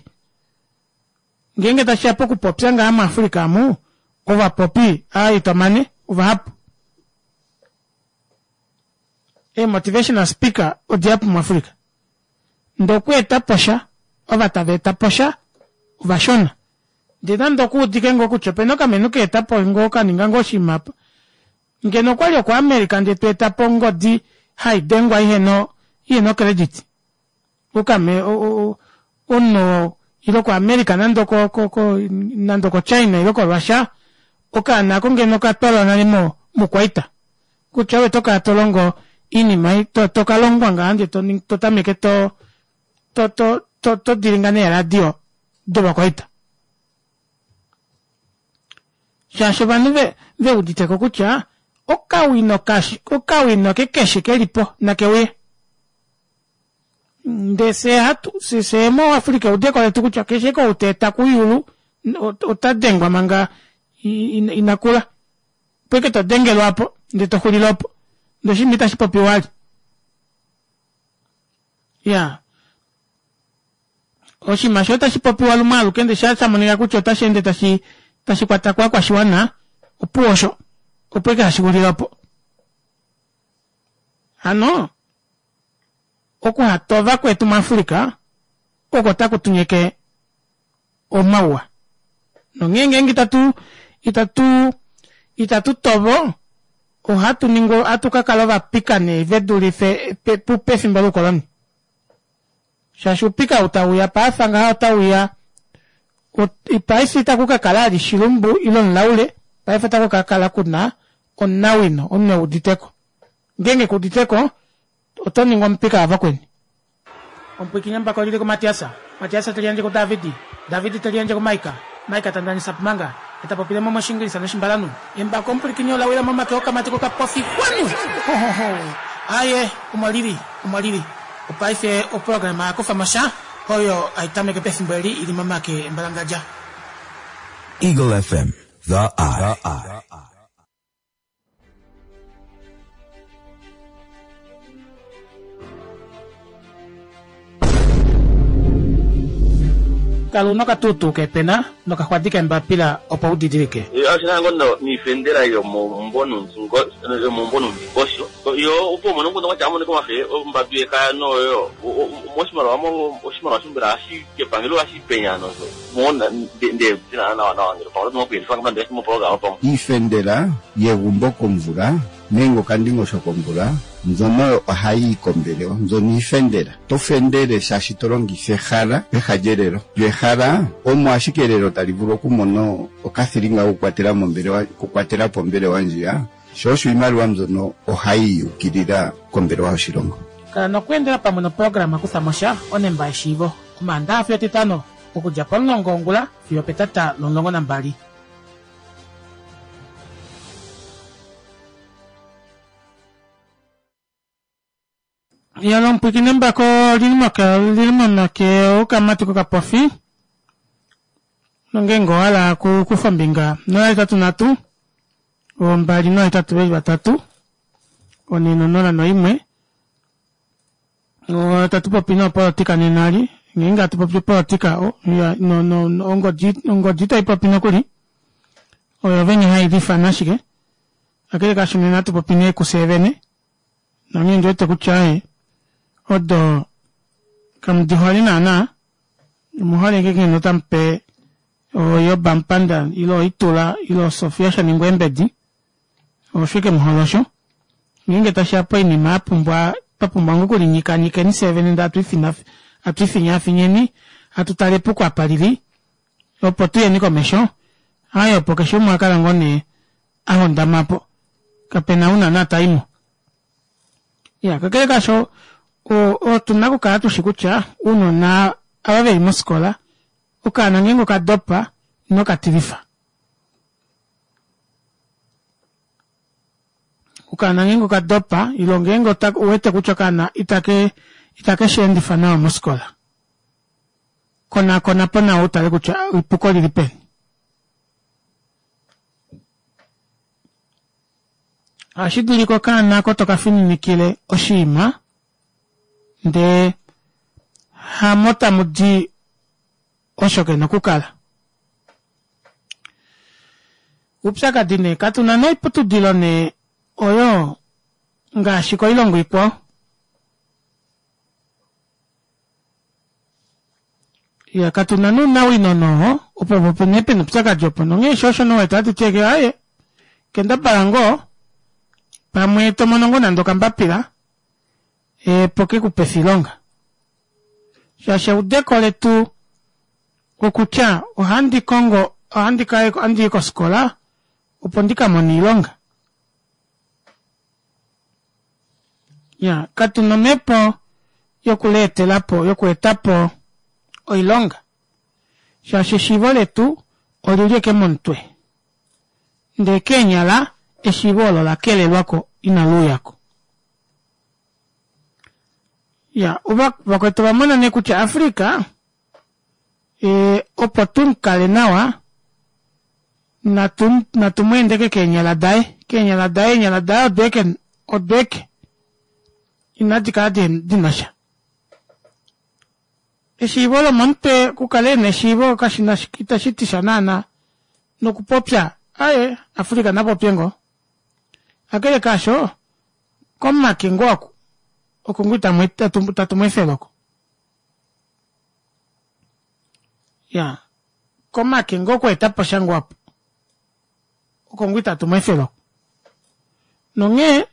ngeenge tashiya pokupopya ngaha mu africa omu ovapopi aaye itomane ovahapu ee motivational speaker odihapu mu africa ndee okweetaposha ova taveetaposha ovashona ndee nande okuudike ngoo kutya opena okamenhu kaetapo ngoo kaninga ngoo oshinima aapa ngeno okwali oko america ndee tweetapo ongodi haidengwa ihena ihena ocredit okame omunhu oo Ile ko America nande ko ko ko nande ko China ile ko Russia okaana ako ngeno katwalwa nale mo mukwaita kutya ove toka tolongo iinima to tokalongwa ngaa ndee to tameke to to to to to dilinga neeradio dovakwaita shaashi ovanhu ve veuditeko kutya okawino kashi okawino kekeshe kelipo nakeuye ndee fye hatu fye moAfrica eudeko letu kutya keshe kouteeta kuyulu ota dengwa manga inakula opo ike todengelwa apo ndee toxulile opo ndee oshinima itashi popiwa vali iyaa oshinima osho otashi popiwa lumwe aluke ndee shaa shamonika kutya otasheende tashi tashi kwata kovakwashiwana opuwo osho opo ike hashi xulile opo hano okuhatova kwetu muAfrica oko taku tunyeke omauwa nonghee ngeenge itatu itatu itatu tovo ohatu ningi ohatu kakala ovapika nee vedulife pefimbo loukoloni shaashi oupika ou tauya paife ngaha otauya paife itaku kakala vali shilumbu ile omulaule paife otaku kakala kuna omunawino omunhu euditeko ngeenge kuuditeko oto ningi omupika wavakweni. Omupwiikini embako olili kuMatias, Matias teli yandje kuDavid, David teli yandje kuMaika, Maika ta ndanisa pumanga, eta popile mo mOshingilisa noshimbalanhu. Embako omupwilikini ola wila momake okamati kokapofi xwanu! Hohoho! Aaye, omo lili, omo lili. Opaife oprograma ya kufa mo sha, oyo hai tameke pefimbo eli i li momake embalangadja. Eagle F M, The Eye. Kala una okatuutuu keepena nokaxwadi keembapila opo u didilike. Oshinango niifendela yomomumvo nomundingosho yo opo umone nguno kwatya amoneka omafe ombambi yekaya noyo moshimaliwa mo oshimaliwa shombela hashi kepangelo hashi penya nozo mona nde nawa nawa ngele pamwe oto moku yelifa moprograma pamwe iifendela yegumbo komvula nenge okandingosho komvula mbyono ohayi yi kombelewa mbyono iifendela to fendele shaashi to longitha ehala peha lyelelo lyo ehala omo ashike elelo tali vulu okumona okathilinga kokukwatela mombelewa okukwatela po ombelewa ndjiya sho osho iimaliwa mbyono ohayi yukilila kombelewa yoshilongo. Kala nokweendela pamwe noprograma Kufa mo sha onemba yeshiivo Omaandaxa fiyo Etitano okudja pomulongo wongula fiyo opetata lomulongo nambali. Yalo omupwiikini embako olili momake okamati kokapofi nongeenge owahala okukufa ombinga nola hetatu nhatu ombali nohetatu veli vatatu one nonola noimwe otatu popi nopolitika nena ali ngeenge hatu popi opolitika ongodi ongodi itaipopi nokuli oyo vene hailifana ashike kakele kaasho nena ohatu popi nee kufye vene nonghee ndiwete kutya odo kamudihole naana omuhole ashike ngeno otamupe oYoba Mpanda ile oitula ile Sofia Shaningwa Embedi osho ike muhole osho ngeenge tashiya poinima yapumbwa twapumbwa ngoo okulinyikanyikeni fyee vene ndee hatu ifinyaafinyeni hatu tale epuko apa lili opo tuyeni komesho haye opo keshe umwe akala ngoo nee ahondamapo kapena ou naana taimo iya kakele kaasho otuna okukala tushi kutya ounona ava veli mofikola okaana ngeenge okadopa ino katilifa okaana ngeenge okadopa ile ngeenge uwete kutya okaana itake itake sheendifa nawa mofikola konakonapo nawa utale kutya epuko olili peni ohashi dulika okaana oko tokafininikile oshinima ndee hamo tamudi osho kena okukala oupyakadi nee katuna noiputudilo nee oyo ngaashi koilongo ikwao iya katuna nounawino noho opo opo nee pena oupyakadi opo nonghee sho osho nowete hatu ti aaye kendabala ngoo pamwe tomono ngoo nande okambapila opo kekupefe oilonga shaashi eudeko letu Okutya ohandi kongo ohandi ka ohandi i kofikola opo ndikamone oilonga. Iyaa katuna omepo yokuleetelapo yokweetapo oilonga shaashi eshiivo letu olili ashike momutwe ndee keenyala eshiivo oolo olakelelwako ina luuyako. Iyaa vakwetu ovamona nee kutya africa ee opo tumukale nawa natu natu mweendeke keenyala daye keenyala daye eenyala daye odo ashike odo ashike inadikala dinasha. Eshiivo lomomutwe okukala ena eshiivo kashina itashitisha naana nokupopya aaye africa napopye ngoo kakele kaasho komake ngoo oku oko ngoo itatu mweefele oko iyaa komake ngoo okweetaposha ngoo aapo oko ngoo itatu mweefele oko nonghee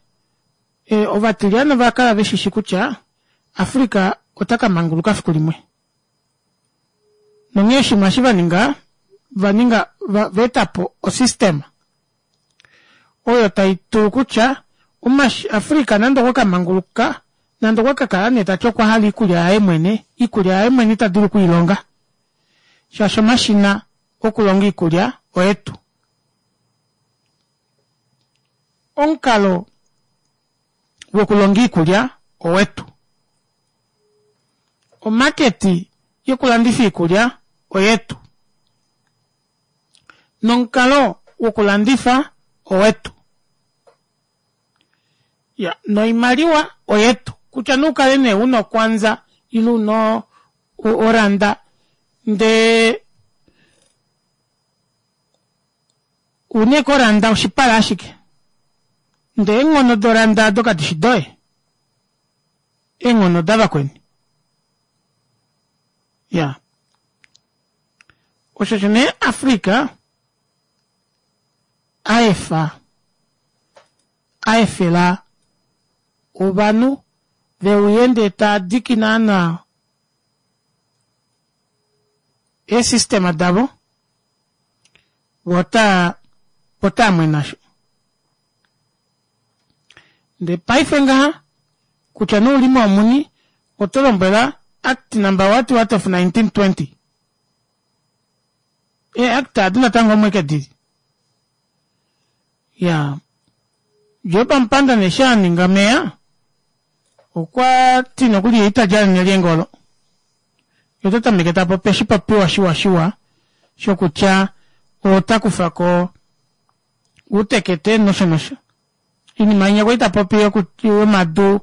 ovatilyane ovakala veshishi kutya africa otakamanguluka fikulimwe nonghee oshinima eshi vaninga ovaninga ovaetapo o system oyo taidulu kutya africa nande okwa kamanguluka nande okwa kakala nee tati okwahala oikulya yaye mwene oikulya yaye mwene itadulu okwiilonga shaashi omashina okulonga oikulya oyetu. Omukalo wokulonga oikulya owetu. Omaketi yokulandifa oikulya oyetu. Nomukalo wokulandifa owetu. Iya noimaliwa oyetu kutya nee ukale nee una okwanza ile una oranda ndee una ashike oranda oshipala ashike ndee eenghono doranda aado kadishi doye eenghono odavakweni iyaa osho osho nee africa aefa aefela ovanhu veuye ndee taadiki naana ee system davo voo otaa otaamwene asho ndee paife ngaha kutya nee ouli moomuni otolombwelwa act number what what of nineteen twenty ee act aadi natango omo ashike dili iyaa Job Amupanda nee eshi aninga meya okwati nokuli yee italya nelyenge olo yee otatameke tapopi oshipopiwa shiwa shiwa shokutya otakufako outekete nosho nosho oinima inya kwali tapopi yomadu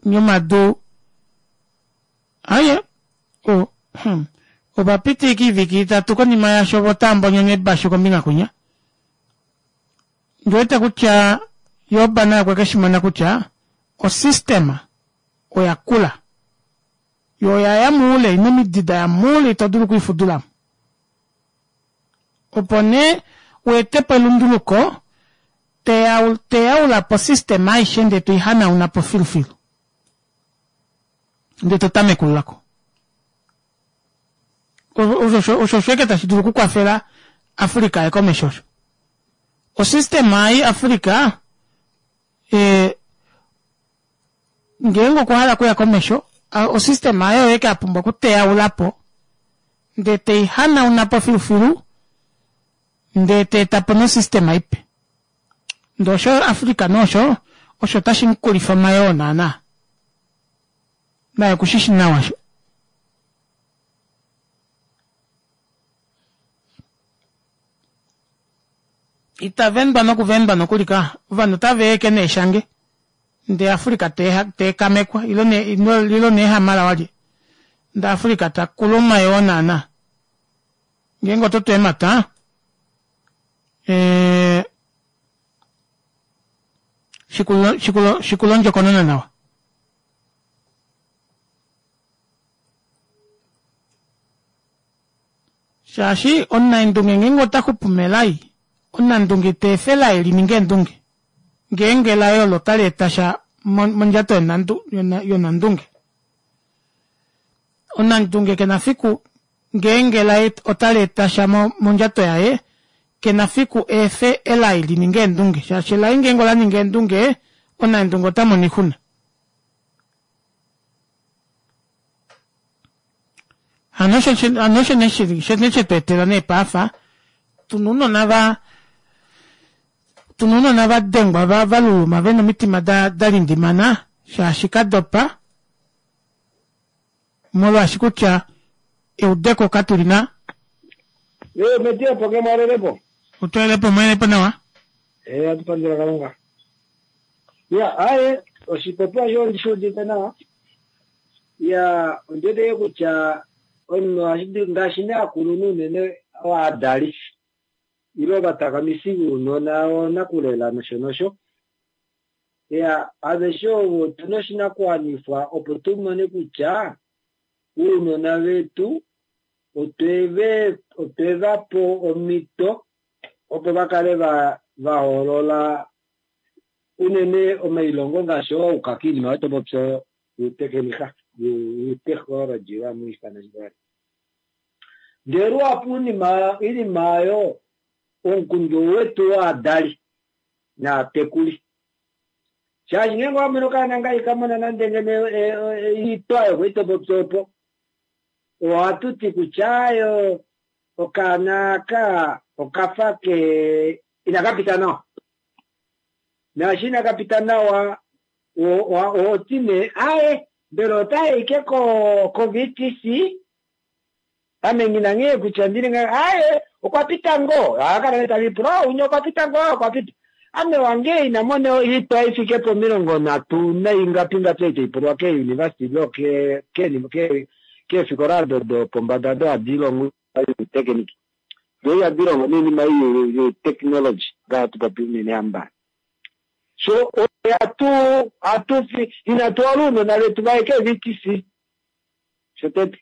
yomadu aaye o hmm opapita ashike oivike itatu konima yaasho voo otavambonyona eebashu kombinga kwinya ondiwete kutya job naye okwekeshimona kutya o system oyakula yoo oyaya moule oina omidi daya moule ito dulu okwiifudulamo opo nee weetepo elunduluko teyaulapo o system aishe ndee toihanaunapo filufilu ndee totamekululako osho osho ashike tashi dulu okukwafela africa aye komesho osho o system ei africa ee ngeenge okwahala okuya komesho o system aayo oyo ashike apumbwa okuteyaulapo ndee teihanaunapo filufilu ndee teetapo no system ipe ndee osho africa nee osho osho tashi mukulifa omayoo naana naye okushishi nawa osho itavendwa nokuvendwa nokuli ka ovanhu otava eke neeshange ndee africa teekamekwa ile neehamala walye ndee africa takulu omayoo naana ngeenge ototu eemata ee shikula ondjokonona nawa shaashi omunaendunge ngeenge otaxupu melai omunandunge ita efa elai lininge eendunge ngeenge elai olo otali eta sha mondjato yonandunge omunandunge kena fiku Ngeenge elai otali eta sha mondjato yaye, kena fiku eefe elai lininge eendunge, shaashi elai ngeenge ola ninga eendunge, onaendunge ota mono oixuna. Hano osho nee shetu etela nee paafa tuna ounona va tuna ounona vadengwa valuluma vena omitima dalindimana shaashi kadopa molwaashi kutya eudeko katulina. Yo metia po ke mwalelepo. Utwelepo mwelepo nawa. Eh atupandula Kalunga. Ya aye oshipopiwa sho ndishuudite nawa. Ya ondete kutya omunhu ngaashi ne akulunhu unene oadali ile ovatakamifi vounona onakulela nosho nosho. Ya aveshe ovo otuna oshinakuwanifwa opo tumone kutya uunona vetu otweve otwevapo omito opo vakale va vahoolola unene omailongo ngaashi oo ukaka iinima yotopopya yutekenika yuteknology vamwiifana shivali. Ndele luhapu iinima iinima oyo omukundu wetu waadali naatekuli shaashi ngeenge wamona okaana nga ikamona nande ngene iitwa yokoitopopya opo ohatu ti kutya ayo okaana aka okafa ke inakapita nawa naashi inakapita nawa oti nee aye mbela otayi ike ko V T C ame ngina nghee kutya ndili nga aye okwa pita ngoo akala nee tavipula unya okwa pita ngoo okwa pita ame wange ina mona iitwa ifike pomilongo nhatu naingapi ngapi itaipulwa ke university lo ke ke ke keefikola dopombada do hadi longo technique do ihadi longo noinima yo technology ngaashi popi unene amba. So atu atu inatu uunona vetu vaye ke V T C shotete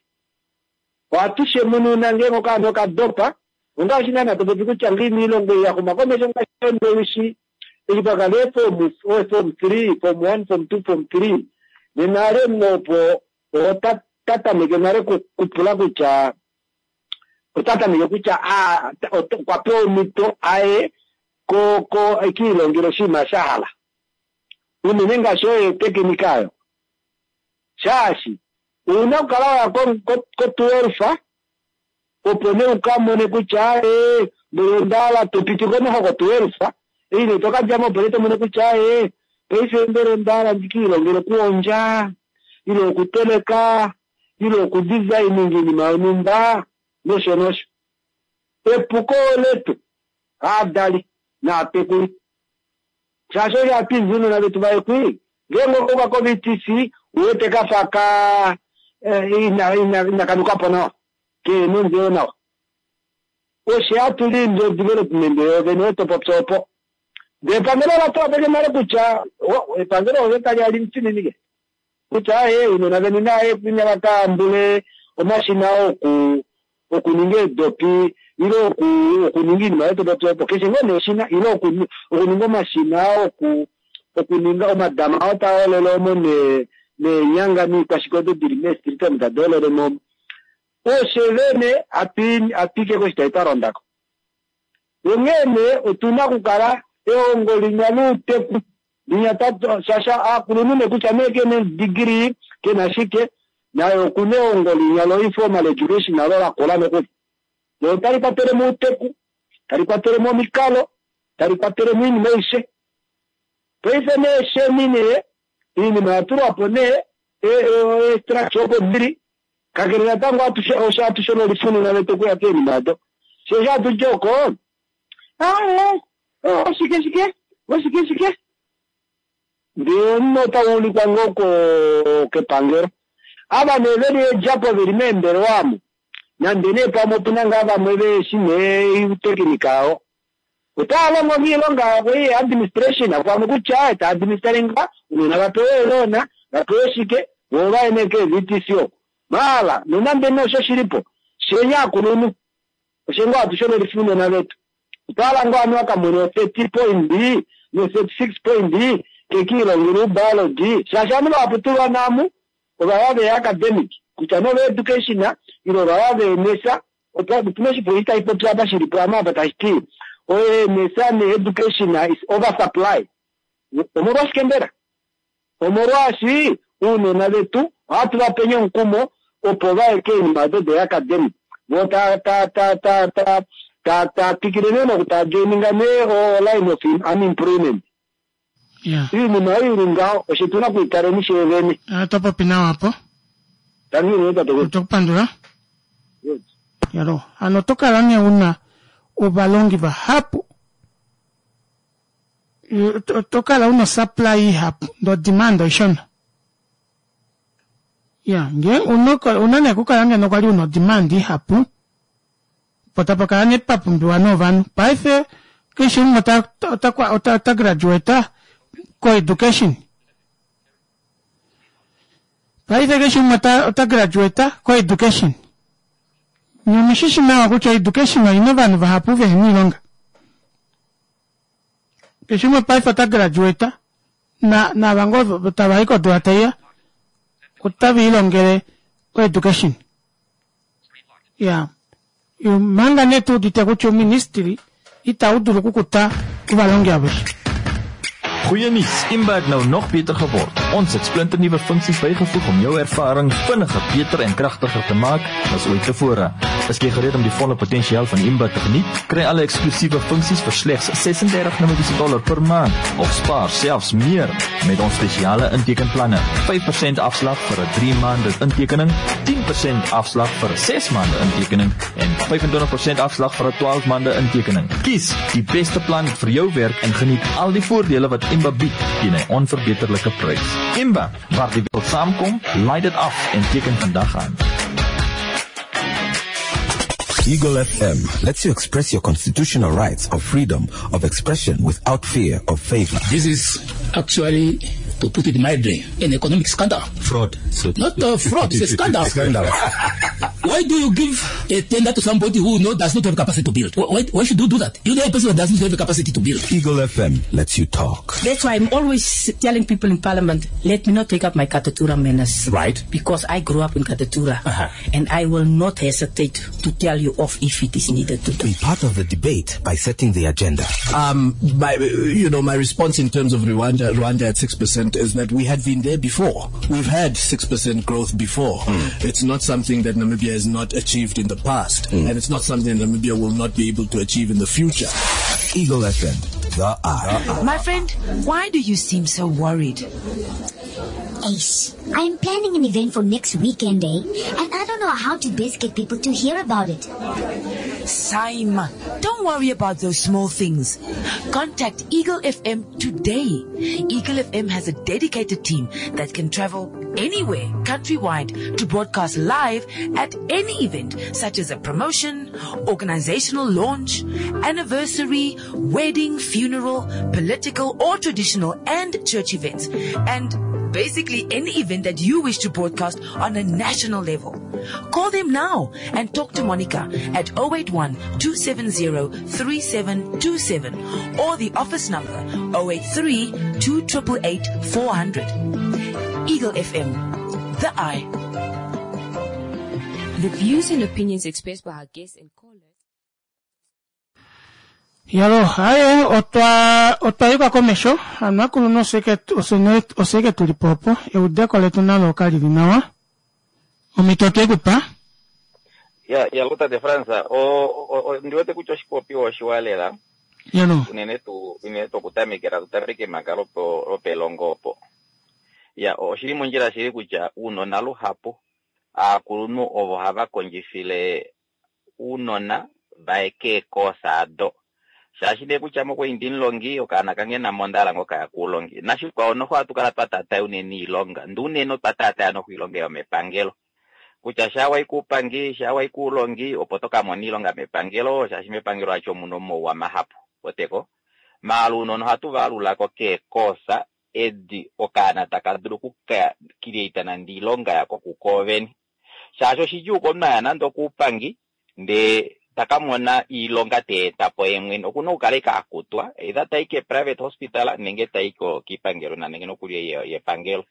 ohatu shemununa ngeenge okaana okadopa ongaashi naana topopi kutya ngeenge iilongo yaxuma komesho ngaashi ndowishi eshi pakala form form three form one form two form three nena ale omunhu opo ota tatameke nale kupula kutya otatameke kutya okwa pewa omhito aye ko ko ekiilongele oshinima sha hala unene ngaashi oyo etekinika ayo shaashi ouna okukala waya ko twelve opo nee ukamone kutya ee mbele ondahala topiti komeho ko twelve eyi tokadjamo opo nee tomone kutya ee paife mbele ondahala ndikiilongele okuhondja ile okuteleka ile okudesigning iinima yonhumba nosho nosho. Epuko letu aadali naatekuli shaashi osho hatu uunona vetu vaye kwi ngeenge okuka ko V T C uwete kafa ka ina ina inakanukapo nawa keena ondjelo nawa osho hatu lindi development yovene yotopopya opo ndee epangelo ola tula peke nale kutya epangelo olyo tali ali mfininike kutya aye uunona veni naye ina vakaambule omashina oku okuninga eedopi ile oku okuninga iinima yotopopya opo keshe ngoo nee eshina ile okuninga omashina oku okuninga omadama oo taa holele omo neenyanga niikwashike odo dili meestriti omo tadi holele mo oshe vene atwiike koshitayi twa londako. Onghee nee otuna okukala ehongo linya louteku linya shaashi aakulunhu nee kutya nee kena degree kena shike naye okuna ehongo linya lo informal education nalo lakola nokuli lo tali kwatele mo outeku tali kwatele mo omikalo tali kwatele mo oinima aishe. Paife nee sheni nee iinima yatulwapo nee eestructure opo dili kakele natango osho hatu shonolifununa vetu okuya keenima ado shoo hatu dji oko aye oshike shike oshike shike ndee omunhu otauulikwa ngoo kepangelo ava nee veli eedjapo veli meembelewa amu nande nee pamwe opuna ngaa vamwe veeshi nee utekinika yawo otaya longo miilonga yavo iyi administration pamwe kutya ta administeringa uunona vapewe eeloona vapewe shike voo vaye nee kee V T C oko maala nonande nee osho shilipo shenya akulunhu osho ngoo hatu shonolifa uunona vetu otwahala ngoo ovanhu vakamone thirty point no thirty six point kekiilongela ubiology shaashi ovanhu vahapu tulwa naamu ovaya ve academic Kutya nee ove education ile ovava veenesa, otuna oshipopi tashi popi apa shili po apa tashi ti oeenesa ne-education is oversupply. Omolwashike mbela? Omolwaashi uunona vetu ohatu va penye omukumo opo vaye keenima odo de-academic, vo ta ta ta ta ta ta ta twikile nee noku joininga nee o line of unemployment. Iinima oyo ili ngaho osho tuna okuitaleni sheevene. Oto popi nawa apo. Otokupandula. Yalo, hano oto kala nee una ovalongi vahapu, oto kala una supply ihapu ndee odemand oishona. Ya, ngee una nee okukala ngeno kwali una odemand ihapu, po tapa kala nee papumbiwa nee ovanhu. Paife keshe umwe ota ota ota graduate ko-education. Paife keshe umwe ota graduate ko-education. Nye omushishi nawa kutya education oina ovanhu vahapu vehena oilonga. Keshe umwe paife ota graduate na naava ngoo tava i kodula taiya otava ilongele ko-education. Ya, manga nee tuudite kutya ouministry itau dulu okukuta ovalongi aveshe. Goeie nuus, Imba het nou nog beter geword. Ons het splinternuwe funksies bygevoeg om jou ervaring vinniger, beter en kragtiger te maak as ooit tevore. Is jy gereed om die volle potensiaal van Imba te geniet? Kry alle eksklusiewe funksies vir slegs ses-en-dertig Namibiese dollar per maand of spaar selfs meer met ons spesiale intekenplanne. vyf persent afslag vir 'n drie maande intekening, tien persent afslag vir 'n ses maande intekening en vyf-en-twintig persent afslag vir 'n twaalf maande intekening. Kies die beste plan vir jou werk en geniet al die voordele wat Imba bied teen 'n onverbeterlike prys. Imba, waar die wereld saamkom, laai dit af en teken vandag aan. Eagle F M lets you express your constitutional rights of freedom of expression without fear of favor. This is actually, to put it mildly, an economic scandal. Fraud. So Not a fraud, it's a scandal. Scandal. Why do you give a tender to somebody who no, does not have capacity to build? Why, why should you do that? You know a person that does not have the capacity to build. Eagle F M lets you talk. That's why I'm always telling people in Parliament, let me not take up my Katutura manners. Right. Because I grew up in Katutura. Uh-huh. And I will not hesitate to tell you off if it is needed to do. Be part of the debate by setting the agenda. Um, my, you know, my response in terms of Rwanda, Rwanda at six percent is that we had been there before. We've had six percent growth before. Mm. It's not something that Namibia has not achieved in the past, mm. and it's not something that Namibia will not be able to achieve in the future. Eagle F M, the Eye. My friend, why do you seem so worried? Ace, I'm planning an event for next weekend, eh? And I don't know how to best get people to hear about it. Saima, don't worry about those small things. Contact Eagle F M today. Eagle F M has a dedicated team that can travel anywhere, countrywide, to broadcast live at any event, such as a promotion, organizational launch, anniversary, wedding, funeral, political or traditional and church events, and basically any event that you wish to broadcast on a national level. Call them now and talk to Monica at oh eight one, two seven zero, three seven two seven or the office number oh eight three, two triple eight, four hundred. Eagle F M, the Eye. The views and opinions expressed by our guests and callers. Yalo, haye, otwa, otwa yuka komesho, hano akulunhu oseke, osene, oseke tuli po opo, eudeko letu nalo kali li nawa. Omito otwe kupa? Ya, ya luta de França, o, o, o, ndiwete kutya oshipopiwa oshiwa lela. Yalo. Unene tu, unene tu okutamekela, tutameke manga lopo, lopelongo opo. Ya, oshili mondjila shili kutya uunona luhapu, aakulunhu ovo hava kondjifile uunona vaye keekosa ado. Shaashi nee kutya mokuinda omulongi, okaana kange namo onda hala ngoka ya kuulongi. Nashikwao noho ohatu kala twa taataya unene iilonga. Ndi unene otwa taataya noho iilonga yomepangelo. Kutya shaa wayi kuupangi, shaa wayi kuulongi, opo to ka mona iilonga mepangelo, shaashi mepangelo acho omuna omauwa mahapu. Oteko? Maala uunona ohatu va alulako keekosa edi okaana taka dulu okuka create nande iilonga yako kukoovene. Shaashi oshidjuu komunhu aya nande okuupangi, ndee taka mona iilonga te eta po ye mwene. Okuna okukala ike a kutwa, either tayi ke private hospital nenge tayi ko kiipangelo na nenge nokuli ye-, yepangelo.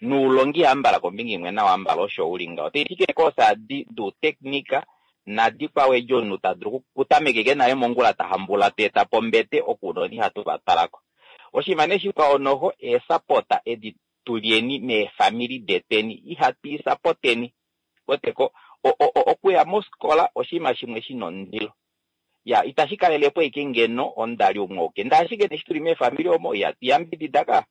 Nuulongi ambala kombinga imwe nawa ambala osho uli ngaho. Taiti koosa di duuteknika nadikwawo edi omunhu ta dulu okutameka nale mongula ta hambula ta eta po ombete okunona ihatu va twalako. Oshinima nee shikwao noho eesapota edi tulyeni meefamili detweni ihatu isapoteni. Weteko okuya mofikola oshinima shimwe shina omundilo. Ya itashi kalelepo ashike ngeno omudali umwe auke ndee ashike eshi tuli meefamili omo ihatu yambidida ka.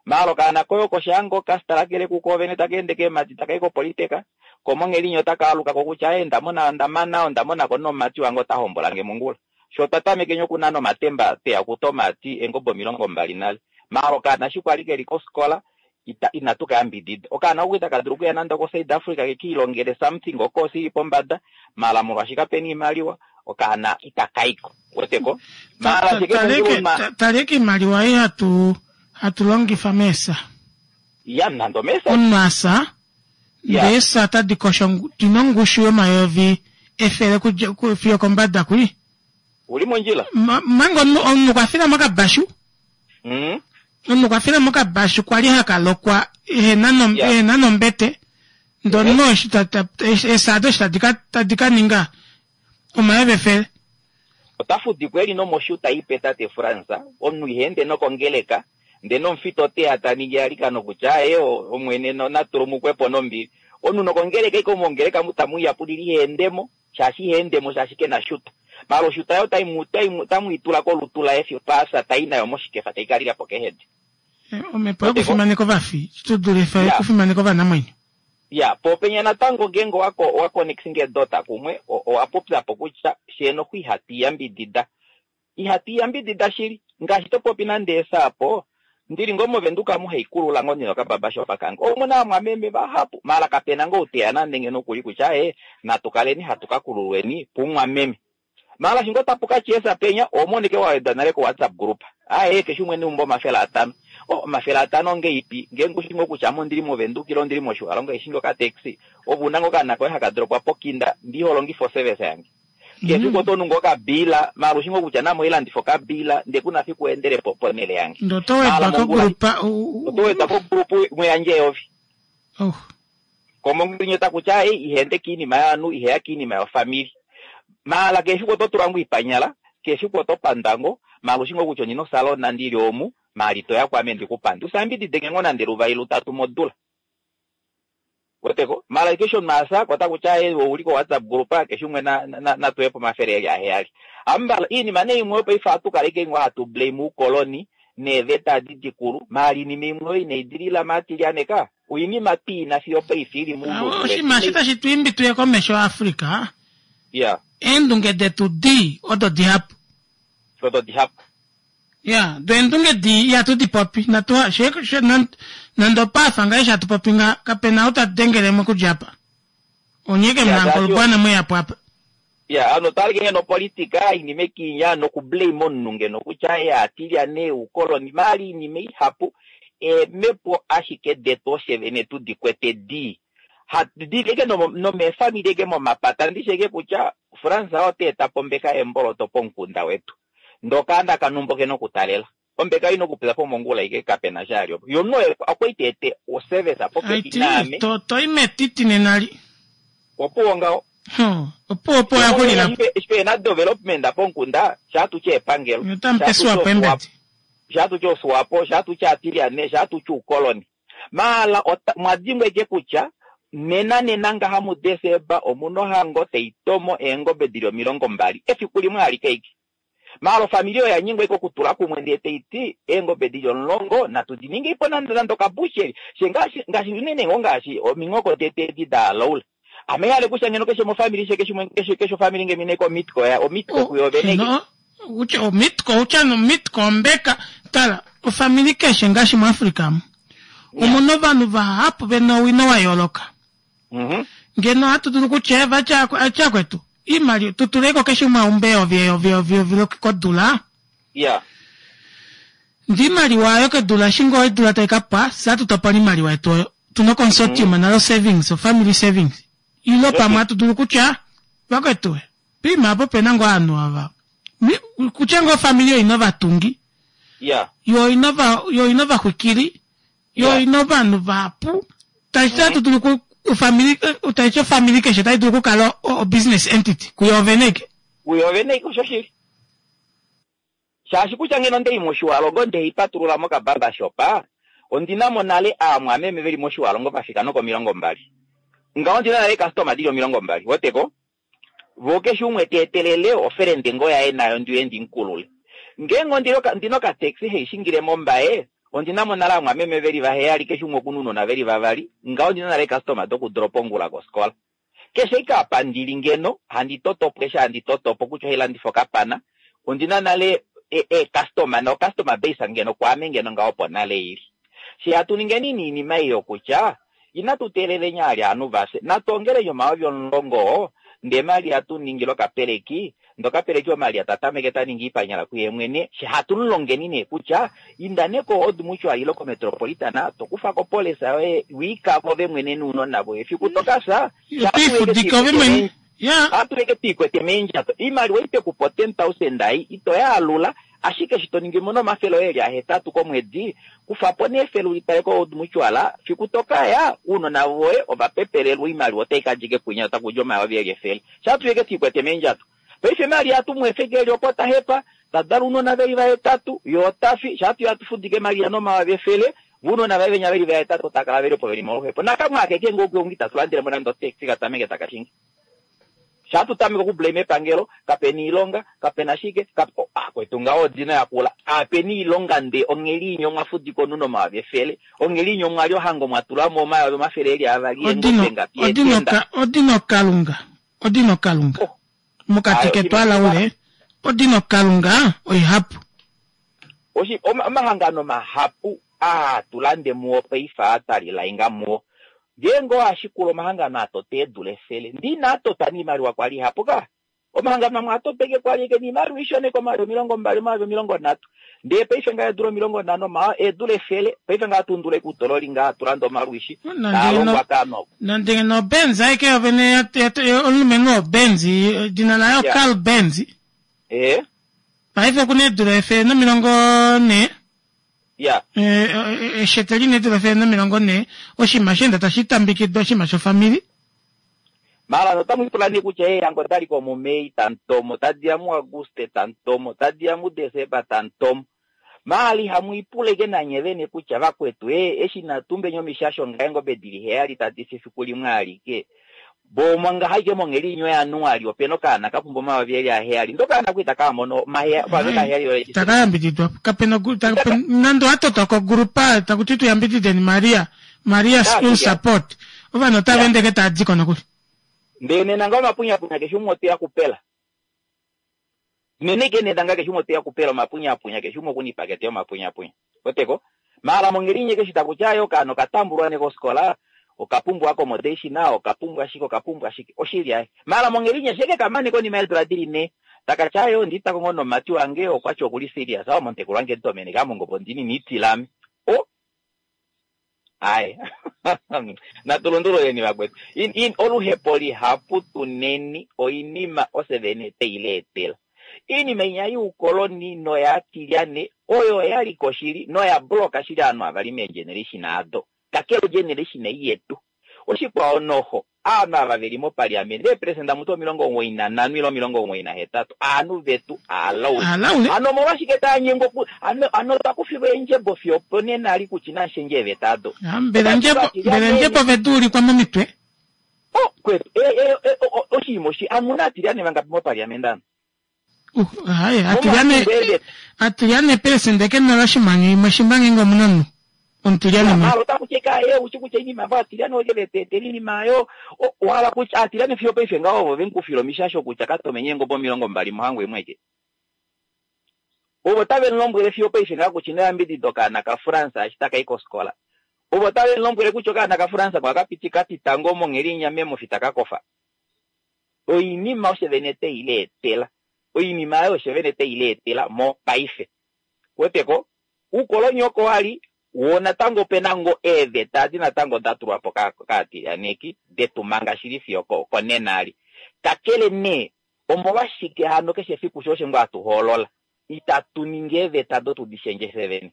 Maala okaana koye oko shaango kastalakele kuko vene taka ende keemadi takayi kopoliteka komonghelinya otaka alukako kutya aye ndamona ondamana ondamonako nomumati wange ota hombolange mongula. Sho twa tamekeni okunana omatemba tweya okuta omati eengobe omilongo mbali nale. Maala okaana eshi kwali keli kofikola ita inatu kayambidida. Okaana oko itaka dulu okuya nande oko South Africa kekiilongele something ocourse ili pombada maala molwaashi kapena iimaliwa okaana itakaiko. Weteko? Maala shike Taleke iimaliwa ei hatu hatu longifa meesa. Ya nande omeesa. Omunhu asa ndee eesa otadi kosho dina ongushu yomayovi efele fiyo kombada kwi. Uli mondjila. Manga omunhu omunhu okwa fila mokabashu. Mm. Omunhu okwa fila mokabashu kwali haka lokwa ehena nom, yeah. ehena nombete. Ndee omunhu eshi eesa ado eshi tadi ka tadi ka ninga omayovi efele. Ota fudikwa eli nomoshuta ipe tate Frans, omunhu iha ende nokongeleka, ndee nomufita oteya ta ningi eilikano kutya aye Omwene na tulumukwepo nombili. Omunhu nokongeleka ashike mongeleka mu tamu yapulile iha endemo, shaashi iha endemo shaashi kena shuta. Maala oshuta yo otamu i tula kolutu laye fiyo paasa tai nayo moshikefa tai ka lila po kehedi. Omhepo yokufimaneka ovafi shi dulife okufimaneka ovanamwenyo. Ya, po penya natango ngeenge owa owa connecting eedota kumwe, owa popya po kutya fyee noxo ihatu iyambidida. Ihatu iyambidida shili. Ngaashi to popi nande eesa apo, ndili ngoo mOvenduka omu haikulula ngoo ndina okababashopa kange. Omuna aamwameme vahapu, maala kapena ngoo ou teya nande ngeno okuli kutya aaye natu kaleni hatu ka kululweni pumwameme. Maala shi ngoo tapu ka tya penya, oho mono ike wa wedwa nale ko WhatsApp group. Aaye keshe umwe neumbo omafele atano. Oh, omafele atano ongeipi? Ngeenge ushi ngoo kutya ame ondili mOvenduka ile ondili mOtjiwarongo haishi ngoo okataxi, ove una ngoo okaana koye haka dropwa pokinda, ndee iho longifa oservice yange. Keshe efiku oto nu ngoo okabiila, maala ushi ngoo kutya naame oilandifa okabiila, ndee kuna fiku weendele po ponhele yange. Ndee oto wedwa Maala mongula ko group, oto wedwa ko group muyandje eyovi. Oh. Komongula ota kutya ei iha ende kiinima yovanhu, iheya kiinima yofamili. Maala keshe efiku oto tula ngoo oipanyala, keshe efiku oto pandwa ngoo, maala ushi ngoo kutya ondina osalona ndili omu, maala itoya kwaame ndikupande. Usayambidide ngoo nande luvali lutatu modula. Weteko? Maala keshe omunhu asa, ota kutya ee ouli ko WhatsApp group, keshe umwe na, na, natuwe po omafele eli aheyali. Ambala, iinima nee imwe paife ohatu kala ashike ngoo hatu blame oukoloni, neeveta adi dikulu, maala iinima imwe oyo inai dilila maatilyane ka. Oinima twiina fiyo paife ili moulunde wetu. Oshinima eshi tashi tu imbi tuye komesho Africa. Yeah. Eendunge detu dii odo dihapu. Odo dihapu. Ya, do eendunge dii ihatu di popi. Natu she, she, nande opaafa ngaa eshi hatu popi nga kapena ou ta dengele mo okudja apa. Onye ke muna ngolubwana mweyapo apa. Ya, ano otwa alike ngeno opolitika iinima ekinya noku blame omunhu ngeno kutya ye aatilyane uukoloni maala iinima ihapu eemhepo ashike detu oshe vene tu di kwete dii hatu dili eke nomeefamili eke momapata ndishi eke kutya Frans ota eta po ombeka yeemboloto pomukunda wetu ndee okaana kanumba okena okutalela ombeka oina okupya po mongula ike kapena sha ali opo ye omunhu oye okwali ta ete oservice popepi naame to toi metiti nenali opuwo ngaho opuwo opuwo ya xulila po eshi pena development pomukunda shaa tutye epangelo otamu pesuwa po eembedi shaa tutye oSwapo shaa tutye aatilyane shaa tutye uukoloni maala mwa dimbwa eke kutya nena nena ngaha muDesemba omuna ohango tai tomo eengobe dili omilongo mbali efiku limwe alike ike maala ofamili oyo yanyengwa ike okutula kumwe ndee taiti eengobe dili omulongo natu di ningeipo nande nande okabusheri she ngaashi ngaashi unene ngoo ngaashi ominghoko detu edi daalaula ame hale kutya ngeno keshe mofamili she keshe keshe keshe ofamili ngeno ina omitko ya omitko kuyo vene no utya omitko utya nomitko ombeka tala ofamili keshe ngaashi muAfrica mu omuna ovanhu vahapu vena owino wa yooloka mhm. Ngeno ohatu dulu kutya vatya akwetu iimaliwa tu tuleko keshe umwe aumbe eyovi eyovi eyovi eyovi kodula ya ndee iimaliwa oyo kedula eshi ngoo odula tai ka pwa fye ohatu topola iimaliwa yetu oyo tuna oconsortium mm. nalo savings ofamily savings ilo pamwe hatu dulu kutya vakwetu piima apo pena ngoo ovanhu ava kutya ngoo ofamili oina ovatungi ya yo oina ovaxwikili Yo ina ovanhu vahapu. Tashi ti ohatu dulu ku ofamili tashi ti ofamili keshe otai dulu okukala o, o business entity kuyo vene ike. Kuyo vene ike oshoshili. Shaashi kutya ngeno ndei mOshiwalongo ndei patulula moka barbershop, ondina mo nale aamwameme veli mOshiwalongo vafika nokomilongo mbali. Ngaho ondina nale customer dili omilongo mbali, weteko? Vo keshe umwe ta etelele ofelende ngoo yaye nayo ndiye ndimukulule. Ngeenge ondina ndina okataxi haishingile mOmbaye, ondina mo nale aamwameme veli vaheyali keshe umwe okuna ounona veli vavali, ngaho ondina nale customer dokudropa ongula kofikola. Keshe ike apa ndili ngeno, handi totopo eshi handi totopo kutya ohailandifa okapana, ondina nale e, e customer no customer base ngeno kwaame ngeno ngaho opo nale ili. She hatu ningeni niinima ei yokutya inatu teeleleni ali ovanhu vafye, natu ongeleni omayovi omulongo ndee Maria tu ningile okapeleki, ndee okapeleki oMaria ta tameke ta ningi iipanyala kuye mwene, she hatu mulongeni nee kutya inda nee ko Old Mutual ile koMetropolitan to kufa ko polisa yoye wiikavo ove mwene nounona voye efiku to kafya Twiifudike ove mwene. Atu twiikwete meendjato iimaliwa itekupa ten thousand ai ito yaalula ashike eshi to ningi mono omafele oye eli ahetatu komwedi kufapo nee efele ulitale ko Old Mutual fiku tokaya ounona voye ova pepelelwa oimaliwa otai kadja ike punya otakudja omayovi eli efele shaatuyeke twiikwete meendjato paife Maria atu muefe eli opo tahepa tadala ounona veli vahetatu ye otafi shaatu atufudike Maria nomayovi efele vounona vaye venya veli vahetatu otakala veli opo veli moluhepo nakamwe akeke ngoo keungi itatu landelemo nande otaxi katameke takashingi shaatu tameke okublame epangelo kapena iilonga kapena shike akwetu ngaho odina yakula apena iilonga nde ongheli inye omwafudika omunhu nomayovi efele ongheli inye omwali ohango mwatulamo omayovi omafele eli avali eengobe ngapi eetenda odino kalunga odino kalunga mokati ketu alaule odino kalunga oihapu oshi omahangano mahapu aa tulande muwo paife aatalilainga muwo ngeenge oashikula omahangano atota eedula efele ndina atota niimaliwa kwali ihapu ka omahangano amwe atoteke kwali eke niimaliwa ishona omayovi omilongo mbali omayovi omilongo nhatu ndee paife ngaa eedula omilongo nhano ma eedula efele paife ngaa tundula ekuutololi ngaa atulanda omalwishi taalongwa kaano nande no Benz aike yovene omulumenhu oBenz edina layo Carl Benz ee paife okuna eedula efele nomilongo nhee ya eshete lina eedula efele nomilongo nhee oshinima sheenda tashi tambikidwa oshinima shofamili mara notamu ipula nee kutya eehango otali ko muMei tantomo tadiya muAguste tantomo tadiya muDesemba tantomo maala ihamu ipuleke nanye vene kutya vakwetu e eshi natumbeni omishasho nga eengobe dili heyali tadi fi efiku limwe alike bomo ngahaike mongheli inyo yaJanuali opena okaana kapumbwa omayovi eli aheyali ndo okaana ku itakamono omayovi aheyali takayambididwa kapena nande watotwa kogrupa takuti tuyambidideni Maria Maria school support ovanhu otava endeke taadiko nokuli ndee nena nga omapunyapunya keshe umwe oteya kupela nene ke nena nga keshe umwe oteya kupela omapunyapunya keshe umwe okuna ipakete yomapunyapunya weteko maala mongheli inye keshi takutya ayo okaana okatambulwa ne kofikola okapumbwa accommodation okapumbwa shike okapumbwa shike oshili aye maala mongheli inye sheke kamane konima yeedula dili nhee takatya ayo nditako ngoo nomati wange okwati okuli serious awo momutekulu wange ntomene kamongopo ndini niitilame o aye natulundululeni vakwetu oluhepo lihapu tuneni oinima osevene teileetela iinima inya yuukoloni noyaatilyane oyo yaliko shili noya bloka shili aanhu avali meegeneration ado kakele ogeneration ei yetu oshikwawo noho aanhu ava veli mopaliamende eeperesenda mutu omilongo omugoyi nanhano ile omilongo omugoyi nahetatu aanhu vetu aalaule hano omolwashike taanyengwa ano ano takufilwa eendjebo fiyo oponena ali kutya inashendja eeveta ado mbela ndjebo vetu ulikwa momitwe o kwetu oshinima oshi amuna atilyane vangapi mopaliamende ano haye atilyane atilyane peresende ke nola oshimanyu imwe shimba ngenge omuna omunhu omutilyane malo otakucheka ye uchi kutya inima vo atilyane oje vetetela inima ayo wala kutya atilyane fiyo paife ngaho ovo venkufila omishasho kutya katomenye eengobe omilongo mbali mohango imweke ovo tave mulombwele fiyo paife ngaho kutya inoyambidida okaana kaFrance eshi takai kofikola ovo tave mulombwele kutya okaana kaFrance kwakapiti katitango mongheli inya memofi takakofa oinima osho vene teileetela oinima ayo osho vene teileetela mopaife weteko uukoloni oko wali wo natango opena ngo eeveta adi natango datulwa po kaatilyaneki detumanga shili fiyo konena ali kakele nee omolwashike hano keshe efiku sho osho ngoo hatu hoolola itatu ningi eeveta do tudishendje fye vene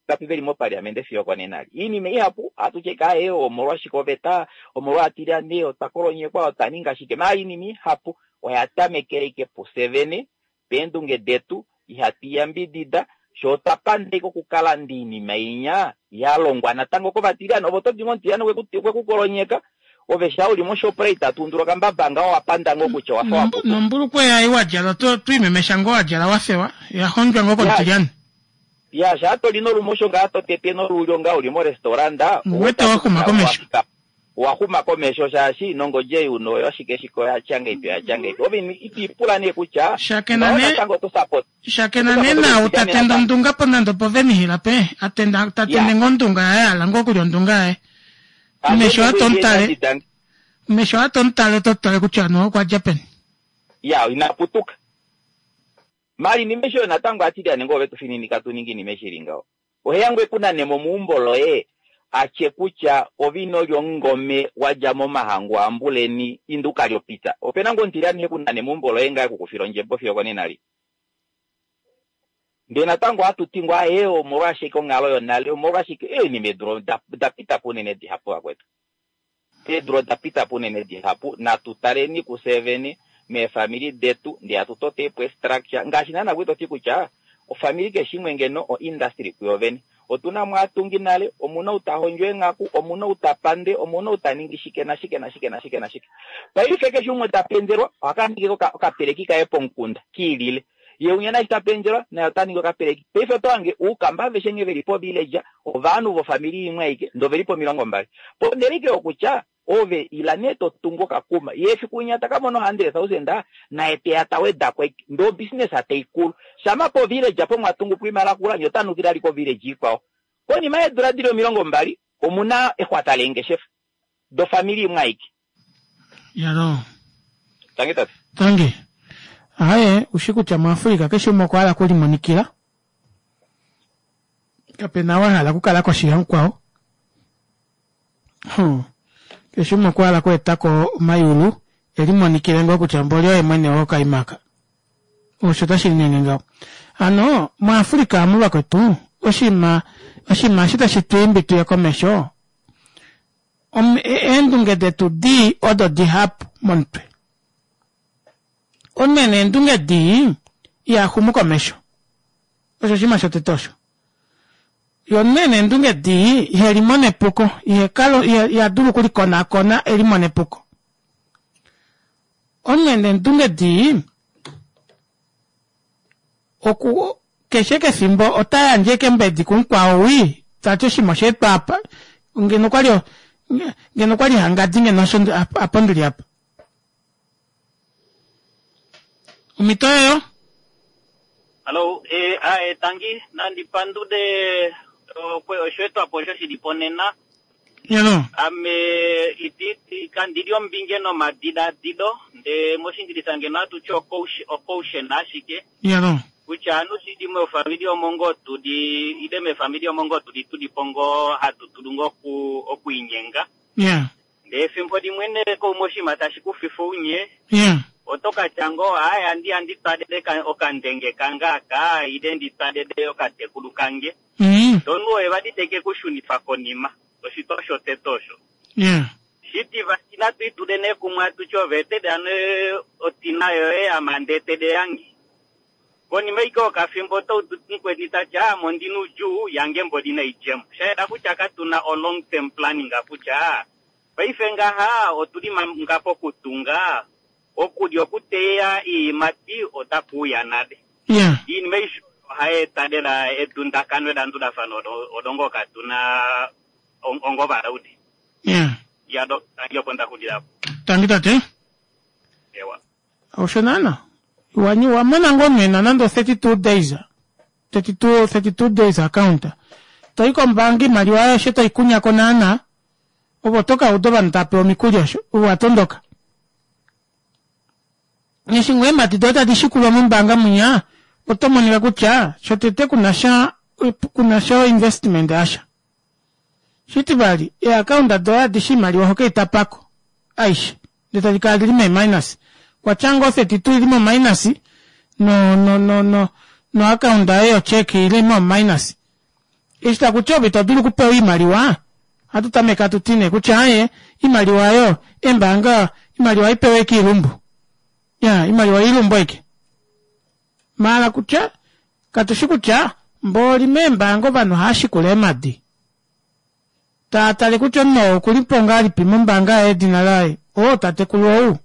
vangapi veli mopaliamente fiyo okonena li iinima ihapu ohatu tye kaye omolwashike oveta omolwaatilyane otwa kolonyekwa otwa ninga shike maa iinima ihapu oya tamekele ike pufye vene peendunge detu ihatu iyambidida sho otwa pandeka okukalanda iinima inya ya longwa natango kovatilyane ovo todi ngo omutilyane okwe kukolonyeka ove sha uli moShoprite tuundula okambaba ngaho wapanda ngoo kutya wafa waputuka nombulukweya ei wadjala oto twiimemesha ngoo wadjala wafewa ya hondjwa ngoo komutilyane ya sha toli nolumosho ngaa to tete nolulyo ngaa uli morestaurant Uwete waxuma komesho. Waxuma komesho shaashi nongodje uno oyo ashike shike oya ngeipi oya ngeipi ove itiipula nee kutya Shakena ne- natango to support shakena ne nau tatenda ondunga po nande opo venihila pe atenda tatende ngoo ondunga yaye ala ngoo okulya ondunga yaye mesho atomutale mesho atomutale totale kutya no okwa dja peni. Ya inaputuka mali nimesho natango atilyane ngoo vetu fininika tuningi nimeshili ngaho oheyangu ekunane momuumbo loye atye kutya ovino lyomungome wadja momahangu ambuleni induka lyopita opena ngoo omutilyane hekunane muumbo loye ngaye kukufila ondjembo fiyo okonena li ndee natango ohatu ngoo aye omolwashike onghalo yonale omolwashike eenima eedula da pita po unene dihapu vakwetu eedula oda pita po unene dihapu natu taleni kufye vene meefamili detu ndee hatu totepo estructure ngaashi naana kwali toti kutya ofamili keshe imwe ngeno o industry kuyo vene otuna mo aatungi nale omuna ou tahondjo eenghaku omuna ou tapande omuna ou taningi shike nashike nashike nashike nashike paife keshe umwe tapenzelwa ohaka ningi okapeleki kaye pomukunda kiilile ye unya nashi tapenzelwa naye otaningi okapeleki paife oto hange uukamba aveshe nghee veli povillage ovanhu vofamili imwe aike ndee oveli pomilongo mbali ponele ike yokutya ove ila nee totungu okakuma ye efiku winya takamona hundred thousand naye teya tawedako ndee obusiness taikulu shama povillage apo mwatungu po imali akula nye otanukile ali kovillage ikwao konima yeedula dili omilongo mbali omuna exwata leengeshefa dofamili imwe aike. Yalo. Tangi tate. Tangi. Aye, ushi kutya muAfrika keshe umwe okwa hala okulimonikila. Kapena wa hala okukala koshi yamukwao. Hmm. Keshe umwe okwa hala okweetako omayulu elimonikile ngoo kutya mboli oye mwene wokaimaka. Osho tashi linyenge ngaho. Hano muAfrika amu vakwetu oshinima oshinima eshi tashi tu imbi tuye komesho eendunge detu dii odo dihapu momutwe. Omunhu ena eendunge dii ihaxumu komesho. Osho oshinima shotete osho. Ye omunhu ena eendunge dii ihelimona epuko ihekala ihadulu okulikonakona elimone epuko. Omunhu ena eendunge dii oku keshe kefimbo ota yandje ashike mbedi kumukwao wii tati oshinima oshaetwa apa ngeno okwali ngeno okwali hangadi ngeno osho apa ndili apa. Omhito oyoyo. Hallo, eh, ae, tangi, nandi pandude osheetwapo osho shili po nena. Yalo. Ame iti kandili ombinge nomadiladilo ndee moshingilisa ngeno hatuti ocaution ashike. Yalo. Kutya anu shili mofamili omo ngoo tuli ile mefamili omo ngoo tuli tulipo ngoo hatu dulu ngoo oku okwiinyenga. Yeah. Ndee efimbo limwe nee koumwe oshinima tashi kufifa ounye. Yeah. Oto katya ngoo aye andi andi twalele okandenge kange aka ile ndi twalele okatekulu kange. Mm. Ndee oye vali teke kushunifa konima. Oshitwa shotete osho. Yeah. Shitivali natu itule nee kumwe atuti ove etele ano otina yoye ame andi etele yange. Konima ashike yokafimbo oto udu mukweni tati ame ondina oudjuu yange mboli naidjemo. Shayela kutya katuna o long term planning kutya paife ngaha otuli manga pokutunga okulya okuteya oiimati otakuuya nale. Yeah. Iinima aishe ohayi eta lela edundakano elandulafano olo ngoo katuna ongo ovalaule. Yeah. Yalo, tangi opo ndaxulila apo. Tangi tate. Ewa. Osho naana. Wanyi wamona ngoo nena nande thirty two days. thirty two, thirty two days account. Toi kombaanga imaliwa aishe toi kunyako naana. Ove oto ka uda ovanhu tava pewa omikuli osho. Ove watondoka. Eshi ngoo eemhati doye tadi shikulwa mombaanga munya, oto monika kutya shotete kunasha kunasha investment yasha. Shitivali, eeaccount doye adishe imaliwa oho keitapako aishe. Ndee tadi kala dili mee minus. Kwatya ngoo thirty two ili mo minus no no no no no account yaye yo check ili mo minus. Eshi takuti ove ito dulu okupewa oimaliwa, ohatu tameke hatu ti nee kutya aaye imaliwa oyo embaanga imaliwa ohaipewa ashike oilumbu. Ya imaliwa oilumbu ashike. Maala kutya katushi kutya mbooli meembaanga ovanhu ohaashikula eemadi. Taatale kutya omunhu ou okulipo ngahelipi mombaanga yaye edina laye oo tatekulu ou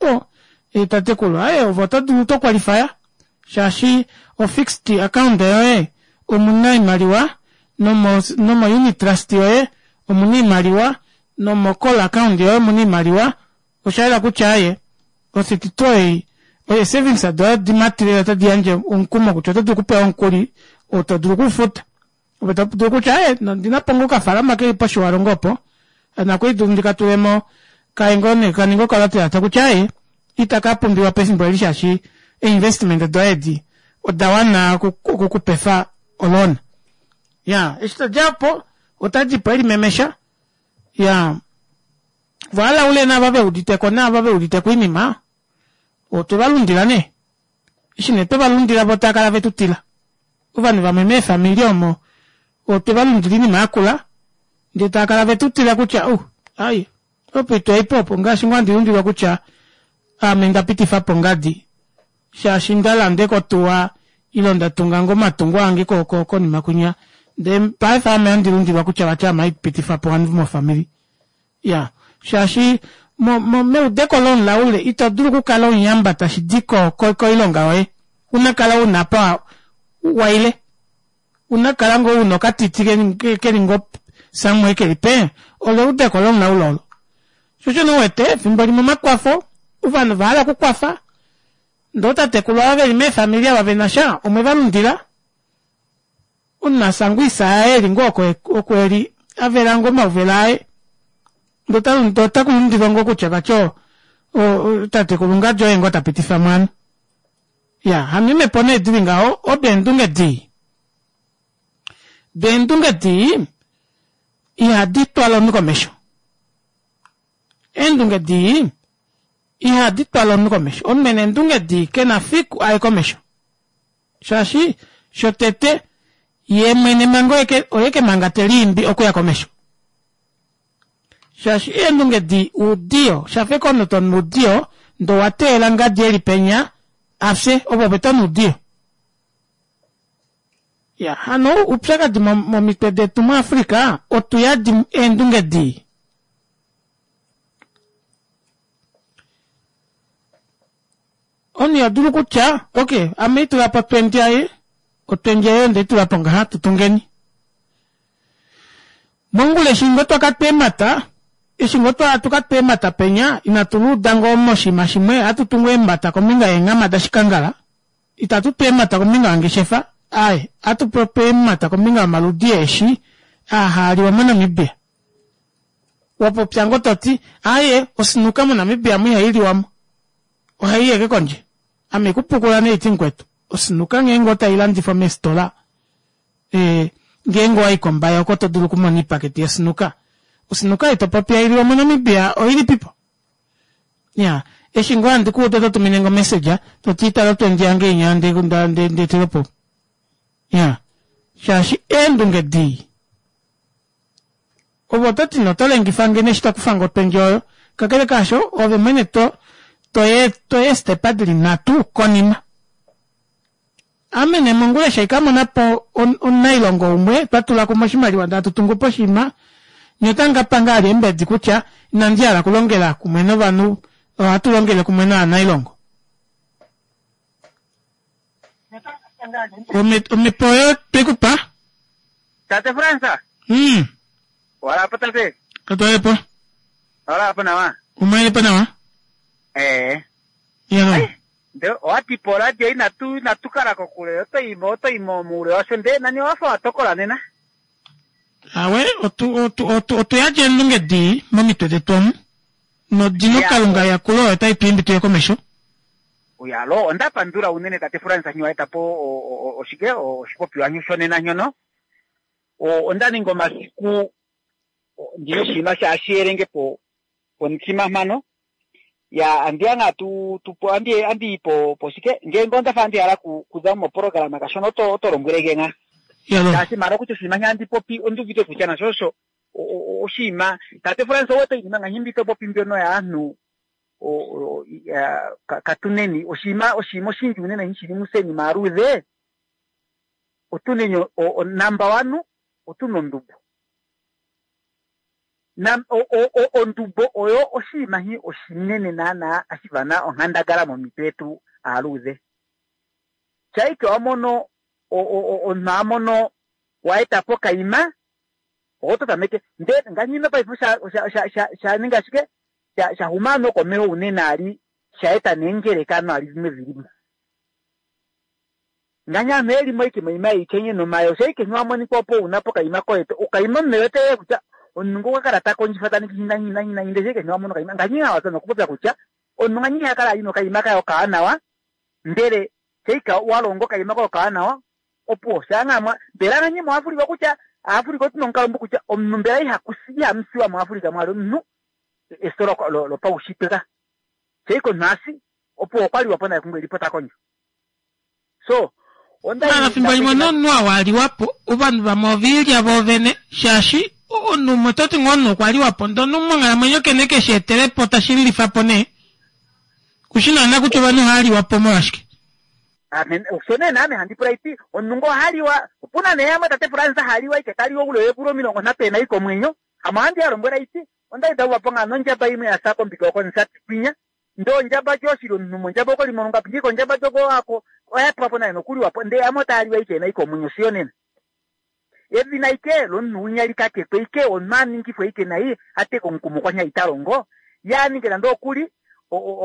o e tatekulu aaye ove oto dulu oto qualify shaashi o fixed account yoye omuna oimaliwa nomo nomo unit trust yoye omuna oimaliwa nomo call account yoye omuna oimaliwa oshayela kutya aaye o thirty two ei ee savings doye odimatile otadi yandje omukumo kutya oto dulu okupewa omukuli oo to dulu okufuta ove to dulu kutya aaye ondinapo ngoo okafalama keli poshiwalongo opo nakwali dulu ndikatulemo kaye ngoo nee kaninge okalatelata kutya aaye itaka pumbiwa pefimbo eli shaashi einvestment doye edi oda wana okukupefa oloan. Ya eshi tadjapo otadipo elimemesha ya vaalaule naava veuditeko naava veuditeko oinima otwe valundila nee eshi nee twe valundila vo taakala vetu tila ovanhu vamwe meefamili omo otwe valundila oinima yakula ndee taakala vetu tila kutya oh ai opo itwaipo opo ngaashi ngoo handi lundilwa kutya ame ndapitifapo ngadi shaashi ndalanda otuwa ile nda tunga ngoo omatungo ange konima kwinya ndee paife ame handi lundilwa kutya vati ame haipitifapo ovanhu mofamili ya shaashi mo, mo, meudeko lomulaule ito dulu okukala omuyamba tashi di ko, ko, koilonga yoye una kala una apa waile una kala ngoo una okatiti keli ngoo somewhere keli pe olo eudeko lomulaule olo shosho nee uwete efimbo limwe omakwafo ovanhu ovahala okukwafa ndee ootatekulu ava veli meefamili ava venasha omwe valundila omunhu oisa yaye eli ngoo oko oko eli avela ngoo omauvela aye ndee otakulundilwa ngoo kutya vati tatekulu ngadi oye ngoo tapitifa mwana ya hano eemhepo nee dili ngaho odo eendunge dii deendunge dii ihadi twala omunhu komesho eendunge dii ihadi twala omunhu komesho omunhu ena eendunge dii kena fiku aye komesho shaashi shotete ye mwene manga oye ke manga teliimbi okuya komesho shaashi eendunge dii oudiyo shafa eke omunhu tonu oudiyo ndee owateelela ngadi eli penya afye ove ove tonu oudiyo ya hano oupyakadi momitwe detu muAfrica otu yadi eendunge dii omunhu iha dulu kutya ok ame itulapo otwendi aye otwendi aye ondeitulapo ngaha tutungeni mongula eshi ngoo twakatwa eemhata eshi ngoo tukatwa eemhata penya inatu luuda ngoo moshinima shimwe ohatu tungu eemhata kombinga yeenghama dashikangala itatu tu eemhata kombinga yongeshefa aaye ohatu popi eemhata kombinga yomaludi eeshi aa haaliwa moNamibia wapopya ngoo toti aaye osinuka moNamibia mu ihailiwamo ohai eke kondje ame kupukula neiti mukwetu osinuka ngeenge otailandifwa meefitola e, ngeenge owai kombaya oko to dulu okumona oipaketi yosinuka osinuka ei topopi hailiwa moNamibia oilipipo ya eshi ngoo handi kuuda oto tuminenge omessage toti tala otwendi yange inya ndeetilepo ya shaashi eendunge dii ove ototi nee oto lengifange neshi tokufange otwendi oyo kakele kaasho ove mwene to toye toye eestepa dili nhatu konima ame nee mongula eshi haikamonapo omunailongo umwe twatula kumwe oshimaliwa ndee hatu tungupo oshinima nye otamu kapanga vali eembedi kutya inandi hala okulongela kumwe novanhu ohatu longele kumwe novanailongo omhepo oyo twekupa tate Frans mm. walapo tate katwalepo walapo nawa umwelepo nawa ee ya nde owati po radio inatu inatu kala kokule otoimo otoimo muule washo ndee nani owafa watokola nena awe otu otu otu otu yadja eendunge dii momitwe detu omu nodino kalunga yakulo oyo otai tu imbi tuye komesho uyalo onda pandula unene tate Frans nyo waeta po oshike oshipopiwa nyo shonena nyono onda ninga omasiku ndina oshinima shaashiyelenge po pomutima mhano ya andiya nga tu tu andi andi po po shike ngeenge onda fa andi hala kuza mo programa kashona oto oto lombwelege nga Shaashi mara kutya oshinima handi popi onduuvite kutya nasho osho oshinima tate Frans owete iinima ngaashi mbi to popi mbyono yaanhu katuneni oshinima oshinima oshindji unene shili museni maaludhe otuneni number one otuna ondumbo. Ondumbo oyo oshinima hi oshinene naana ashivana onghandangala momitwe yetu aaludhe. Shaike wamono omunhu amono waeta po okaima oto tameke ndee ngaashi paife shaninga ashike shahuma nokomeho unene ali shaeta neengelekano ali zimwe zilimo. Ngaashi aanhu elimo ike moima yeikenye nomayo shaike wamonika opo una pokaima koye okaima omunhu ewete kutya omunhu ngo okwa kala ta kondjifa ta ningi hina hina hina ndee shaike wamono okaima ngaashi hawaza nokupopya kutya omunhu ngaashi hakala ali nokaima kaye okawanawa ndele shaika walonga okaima kaye okawanawa opo shaangamwa mbela ngaashi muAfrika kutya Afrika otuna omukalo mbu kutya omunhu mbela ihamusiwa muAfrika mwali omunhu eso lopaushitwe ka shaika omunhu asi opo okwaliwa po naye kungwe elipo ta kondjo. So mara fimbo limwe nomunhu awaliwapo ovanhu vamwe oviilya voovene shaashi omunhu umwe toti ngoo omunhu okwaliwapo ndee omunhu monghalamwenyo kene keshi etelepo tashi lilifapo nee kushi naana kutya ovanhu ohaliwapo molwashike. Osho nee naame handi pula iti omunhu ngo ohaliwa opuna nee yamwe tate Frans haliwa ike taliwa oule weevula omilongo nhatu ena ike omwenyo ame ohandi yalombwela iti ondali ndauvapo ngaa nondjaba imwe yasa kombika okomusati kwinya ndee ondjaba djo oshili omunhu mondjaba okwali molungapi ndike ondjaba djoko ako oyapewapo naye nokuliwapo ndee yamwe otaaliwa ike ena ike omwenyo siyo nena. Edhina ike lomunhu winya likakekwe ike omunhu aningifwe ike nai ateka omukumo kwanya italongo yaninge nande okuli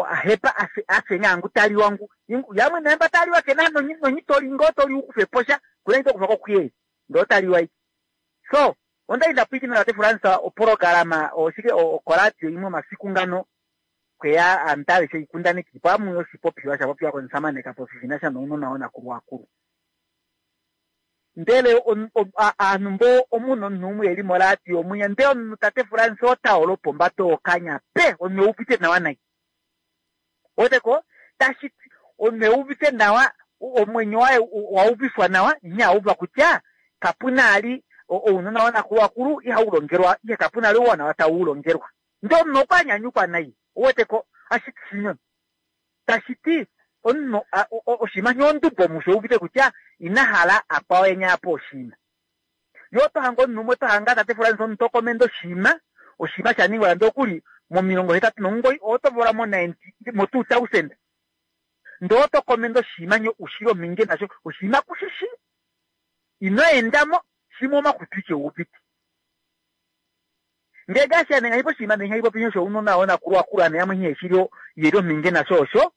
ahepa afe ngangu taliwa ngu yamwe nemba taliwa kena nonyi ngo toli ukufepo sha kuna itokufa kokuyei ndoo taliwa ike. So ondali ndapwiikina tate Frans oporogarama oshike okoradio imwe omasiku ngano kweya antale sheikundaneki pamwe oshipopiwa shapopiwa komusamane Kapofi shinasha nounona wonakulwakulu. Ndele aanhu mbo omunhu omunhu umwe eli moradio omwinya ndee omunhu tate Frans otaolo pombato okanya pe omunhu euvite nawa nai. Oteko tashi omunhu euvite nawa omwenyo waye wauvifwa nawa nyauva kutya kapuna ali ounona wonakulwakulu ihaulongelwa ihe kapuna ali ouwanawa tauulongelwa. Ndee omunhu okwanyanyukwa nai oweteko ashiti shinyono tashiti omunhu oshinima shondubo musho uvite kutya ina hala akwawo enyapo oshinima. Yo otohanga omunhu umwe otohanga tate Frans omuntu okomenda oshinima oshinima shaningwa nande okuli momilongo hetatu nomugoyi otovola mo ninety mo two thousand ndee otokomenda oshinima nyo ushili ominge nasho oshinima kushishi ino endamo shimwe omakutu ike uvite. Ndee ngaashi anenga ipo oshinima nenga ipo pinyo shounona wonakulwakulu ane yamwe nghee yeli ominge nasho osho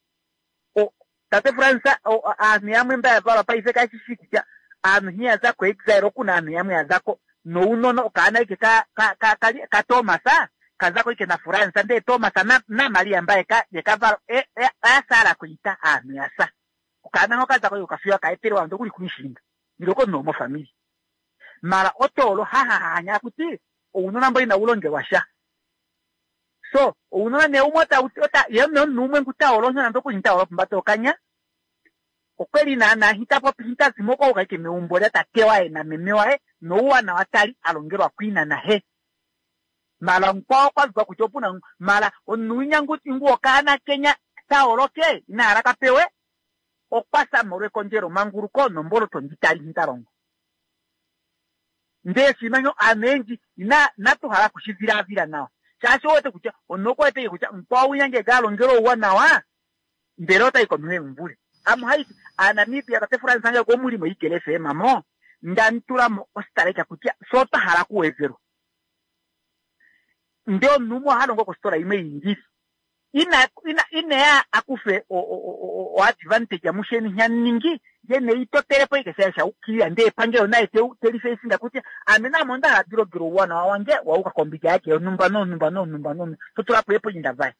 tate Frans aanhu yamwe mba yavalwa paife kashishi kutya aanhu nghee yaza ko exile okuna aanhu yamwe yazako nounona okaana ike ka Thomas kazako ike na Frans ndee Thomas na Maria mba yekavalwa oyasala koita aanhu yasa okaana ngo kazako ike okafiwa kaetelwa ando kuli kunishinga iloko no mofamili mara otolo hahahanya kuti ounona mbo inaulongelwa sha. So ounona ne umwe ota yemwe omunhu umwe ngutaolo nando kunyitaolo pombato okanya okweli naana hitapopi hitazimo kwaike meumbo lya tate waye na meme waye nouwanawa tali alongelwa kwina nahe. Mara mukwawo kwazwa kutya opuna mara omunhu winya ngu okaana kenya taoloke inahala kapewe okwasa molwekondjelo manguluko nomboloto nditali hitalongo. Ndee oshinima aanhu oyendji inatuhala kushivilavila nawa shaashi owete kutya omunhu okwewete kutya mukwawo winya ngenge alongelwa ouwanawa mbela otayi komeho emumvule. Ame haiti aaNamibia tate Frans ange komulimo Eagle F M mo ndantulamo ositaleka kutya sho otwahala kuwezelwa. Ndee omunhu umwe ohalongo kositola imwe yiingili ina ina ineya akufe o advantage musheni nyaningi ye neitotelepo ike sha shaukilila ndee epangelo naye telifesinga kutya ame namo ondahala ndilongele ouwanawa wange wauka kombinga yake yonhumba nonhumba nonhumba nonhumba totulapo epoinda vaye.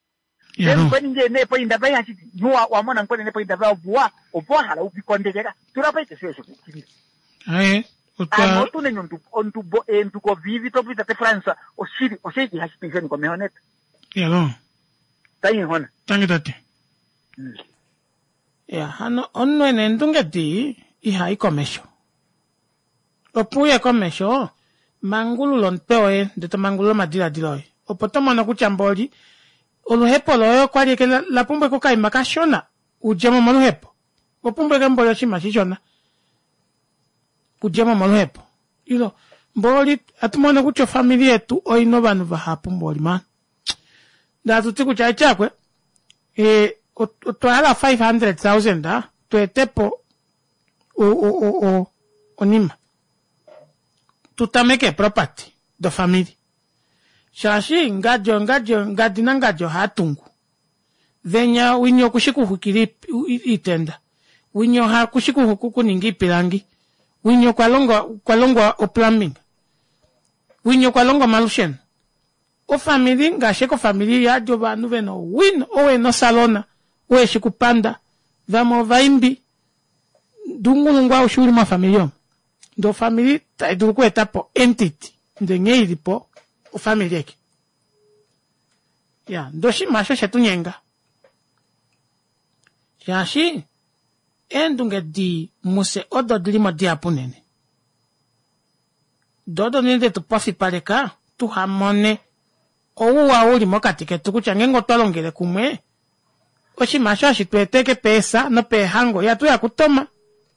Nkweninge nepoinda vaye hashiti nuwa wamona nkwene nepoinda vaye ovuwa opo wahala uvikondekeka tulapo ike sho shokukilila. Aye ame otuneni ondubo eenduko vivi topita tate Frans oshili osheiki hashiti komeho neta. Yalo. Tangi Tangi tate. Ya hano omunhu ena eendunge dii ihai komesho. Opo uye komesho, mangulula omutwe woye ndee to mangulula omadiladilo oye. Opo to mono kutya mboli oluhepo loye okwali eke la pumbwa eke okaima kashona udjemo moluhepo. Opumbwa eke mboli oshinima shishona udjemo moluhepo. Ilo mboli atu mono kutya ofamili yetu oina ovanhu vahapu mboli maan. Ndee hatuti kutya aityakwe ee otwa hala five hundred thousand tweetepo onima tutameke eeproperty dofamili shaashi ngadi ongadi ngadi nangadi ohaatungu venya winya okushi kuxwikila oitenda winya okushi kuninga oipilangi winya okwalongwa okwalongwa oplumbing winya okwalongwa omalusheno ofamili ngaashi eke ofamili iyadi ovanhu vena owino ou ena osalona ou eshi kupanda vamwe ovaimbi ndee ounghulungu aushe uli mofamili omo ndee ofamili taidulu okweetapo entity ndee nghee ilipo ofamili aike iya ndee oshinima aasho oshetunyenga shaashi eendunge dii mufye odo dilimo dihapu unene doo odo unene detu pofipaleka tuhamone ouwa uli mokati ketu kutya ngeenge otwa longele kumwe oshinima aasho hashi tweeta ashike peesa nopeehango ihatuya kutoma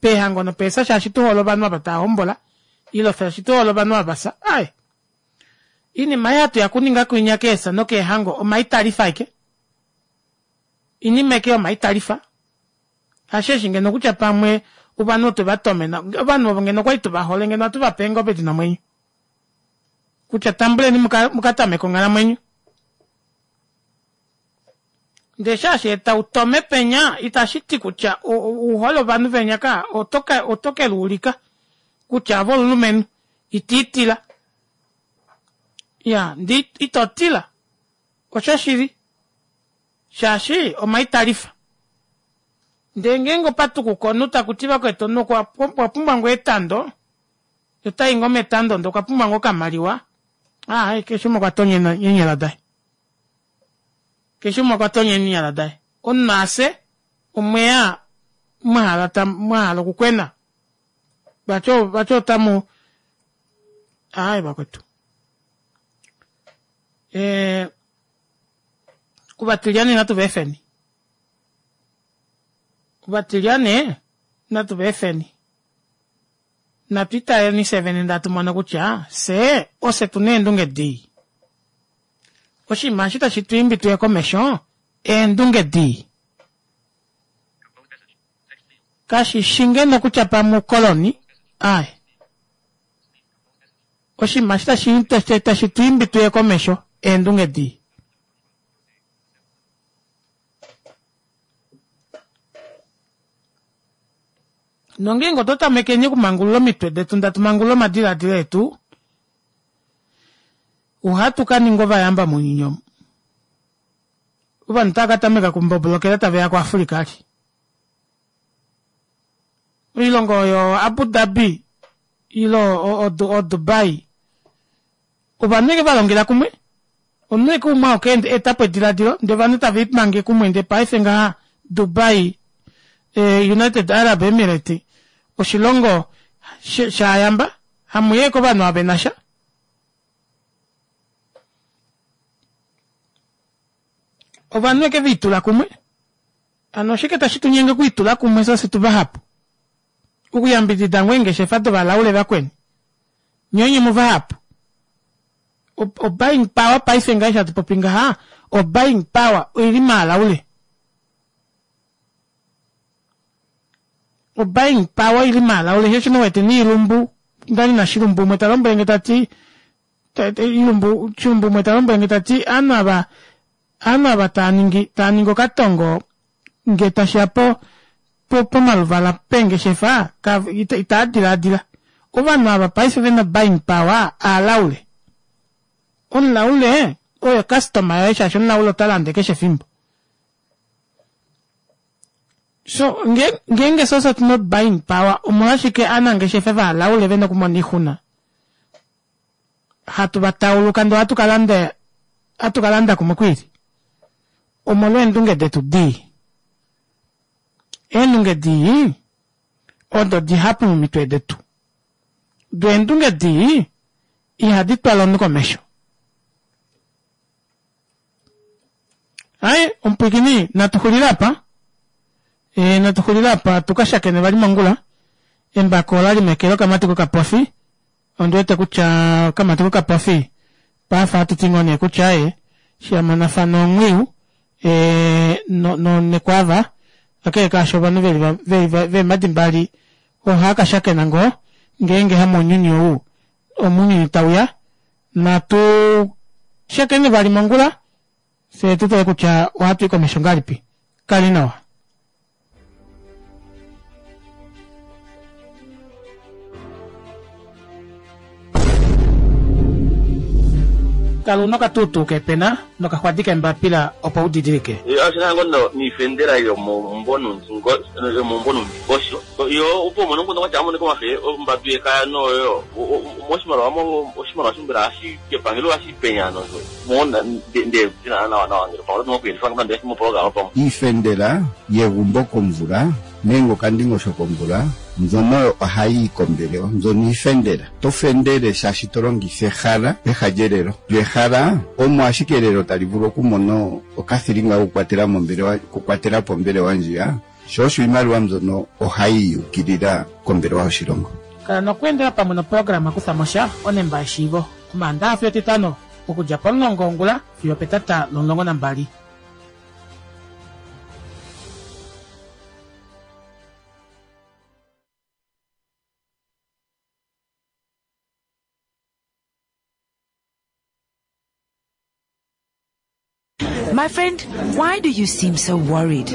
peehango nopeesa shaashi tuhole ovanhu ava tava ile shaashi tuhole ovanhu ava vafya aaye oinima ei hatuya okuninga kwinya keesa nokeehango omaitalifa ashike oinima ashike yomaitalifa hasheeshi ngeno kutya pamwe ovanhu otwe vatomena ovanhu ovo ngeno okwali tuvahole ngeno ohatu vape eengobe dina omwenyo kutya tambuleni mukatameke onghalamwenyo ndee shaashi eta utome penya itashi ti kutya uhole ovanhu venya ka oto keluulika kutya ove omulumenhu itiitila iya ndee itotila oshoshili shaashi omaitalifa ndee ngeenge opatukuka omunhu takuti vakwetu omunhu okwa pumbwa ngoo etando otai ngoo metando ndee okwa pumbwa ngoo okamaliwa aaye keshe umwe okwa tonya eenyala daye keshe umwe okwa tonya eenyala daye omunhu afye omweya mwahala mwahala okukwena vati vati otamu aaye vakwetu ee ovatilyane natu vaefeni ovatilyane natu vaefeni natu italeni fye vene ndee hatu mono kutya fyee ofye tuna eendunge dii oshinima eshi tashi twiimbi tuye komesho eendunge dii kashishi ngeno kutya pamwe oukoloni aaye oshinima eshi tashi tashi twiimbi tuye komesho eendunge dii nongeenge otwa tamekeni okumangulula omitwe detu ndatu mangulula omadiladilo etu ohatu kaninga ovayamba mounyuni omu ovanhu otava katameka okumbobolokela taveya ku Africa ali oilongo oyo Abu Dhabi ile o Dubai ovanhu eke valongela kumwe omunhu eke umwe auke etapo ediladilo ndee ovanhu tave limange kumwe ndee paife ngaha Dubai United Arab Emirate oshilongo shayamba hamuya eke ovanhu ava venasha ovanhu eke velitula kumwe hano oshike tashi tunyenge okwiitula kumwe fye ofye tuvahapu okuyambidida ngoo eengeshefa dovalaule vakweni nyee onye muvahapu o buying power paife ngaha eshi hatu popi ngaha o buying power oili maalaule o buying power oili maalaule shoo osho nee uwete niilumbu ndali nashilumbu umwe talombwelenge tati ilumbu shilumbu umwe talombwelenge tati ovanhu ava ovanhu ava taaningi taaningi okatongo ngee tashiya po pomaluvala peengeshefa itaa dilaadila ovanhu ava paife vena buying power aalaule omulaule oyo customer yoye shaashi omulaule ota lande keshe efimbo so ngeenge fye otuna buying power omolwashike ovanangeshefa vaalaule vena okumona oixuna hatu vatauluka ndee ohatu kalanda hatu kalanda kumwe kwiili omolwa eendunge detu dii eendunge dii odo dihapu momitwe detu Do eendunge dii ihadi twala omunhu komesho. Aye, omupwiikini natu xulile apa. E, natu xulile apa tukashakene vali mongula. Embako olali meke lokamati kokapofi. Ondiwete kutya okamati kokapofi paife ohatu ti ngoo nee kutya aye shamonafana omwiyu e, no, no, nekwava kakele kaasho ovanhu veli veli veemadi mbali ohaakashakena ngoo ngeenge hamounyuni ou omounyuni tauya. Natu shakene vali mongula fye tutale kutya ohatu i komesho ngahelipi. Kali nawa. Kala una okatuutuu kepena nokaxwadi kembapila opo udidilike. Ashina ngo niifendela yomomumvo yomomumvo nomundingosho yo opo umone omukundu kwatya amonike omafe ombadu yekaya noyo moshimaliwa oshimaliwa shombela hashi kepangelo hashi penya nozo mona nde tina nawa nawa ngele pamwe otu na ndee moprograma pamwe iifendela yegumbo komvula nenge okandingosho komvula mbyono ohayi yi kombelewa mbyono iifendela to fendele shaashi to longitha ehala peha lyelelo lyo ehala omo ashike elelo tali vulu okumona okathilinga kokukwatela mombelewa okukwatela po ombelewa ndjiya sho osho iimaliwa mbyono ohayi yukilila kombelewa yoshilongo. Kala nokweendela pamwe noprograma kuthamosha onemba yeshiivo omaandaxa fiyo etitano okudja pomulongo wongula fiyo petata lomulongo nambali. My friend, why do you seem so worried?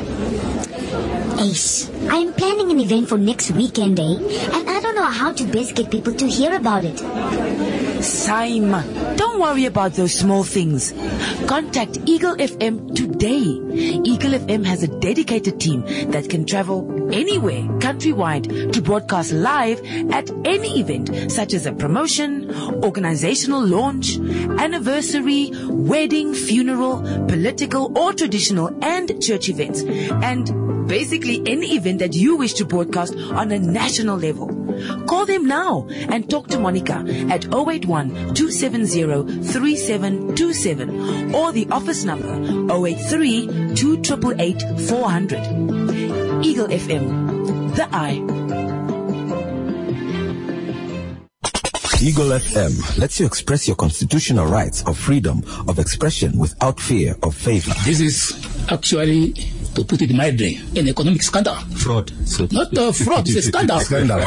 Ace, I'm planning an event for next weekend, eh? And I don't know how to best get people to hear about it. Saima, don't worry about those small things. Contact Eagle F M today. Eagle F M has a dedicated team that can travel anywhere, countrywide, to broadcast live at any event, such as a promotion, organizational launch, anniversary, wedding, funeral, political or traditional and church events, and basically any event that you wish to broadcast on a national level. Call them now and talk to Monica at oh eight one, two seven zero, three seven two seven or the office number oh eight three, two triple eight, four hundred. Eagle F M, the eye. Eagle F M lets you express your constitutional rights of freedom of expression without fear of favor. This is actually, to put it mildly, an economic scandal. Fraud. So Not a fraud, it's a scandal. Scandal.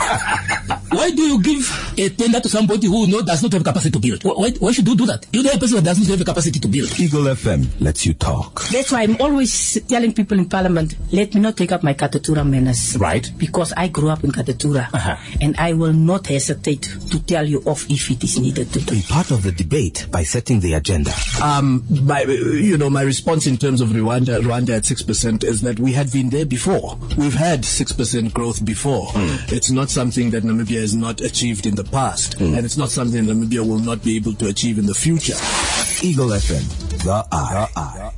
Why do you give a tender to somebody who know, does not have capacity to build? Why, why should you do that? You know a person that does not have capacity to build. Eagle F M lets you talk. That's why I'm always telling people in Parliament, let me not take up my Katutura manners. Right. Because I grew up in Katutura. Uh-huh. And I will not hesitate to tell you off if it is needed to. Be part of the debate by setting the agenda. Um, my, you know, my response in terms of Rwanda, Rwanda at six percent is that we had been there before. We've had six percent growth before. Mm. It's not something that Namibia has not achieved in the past, mm. and it's not something Namibia will not be able to achieve in the future. Eagle F M, the eye. The eye.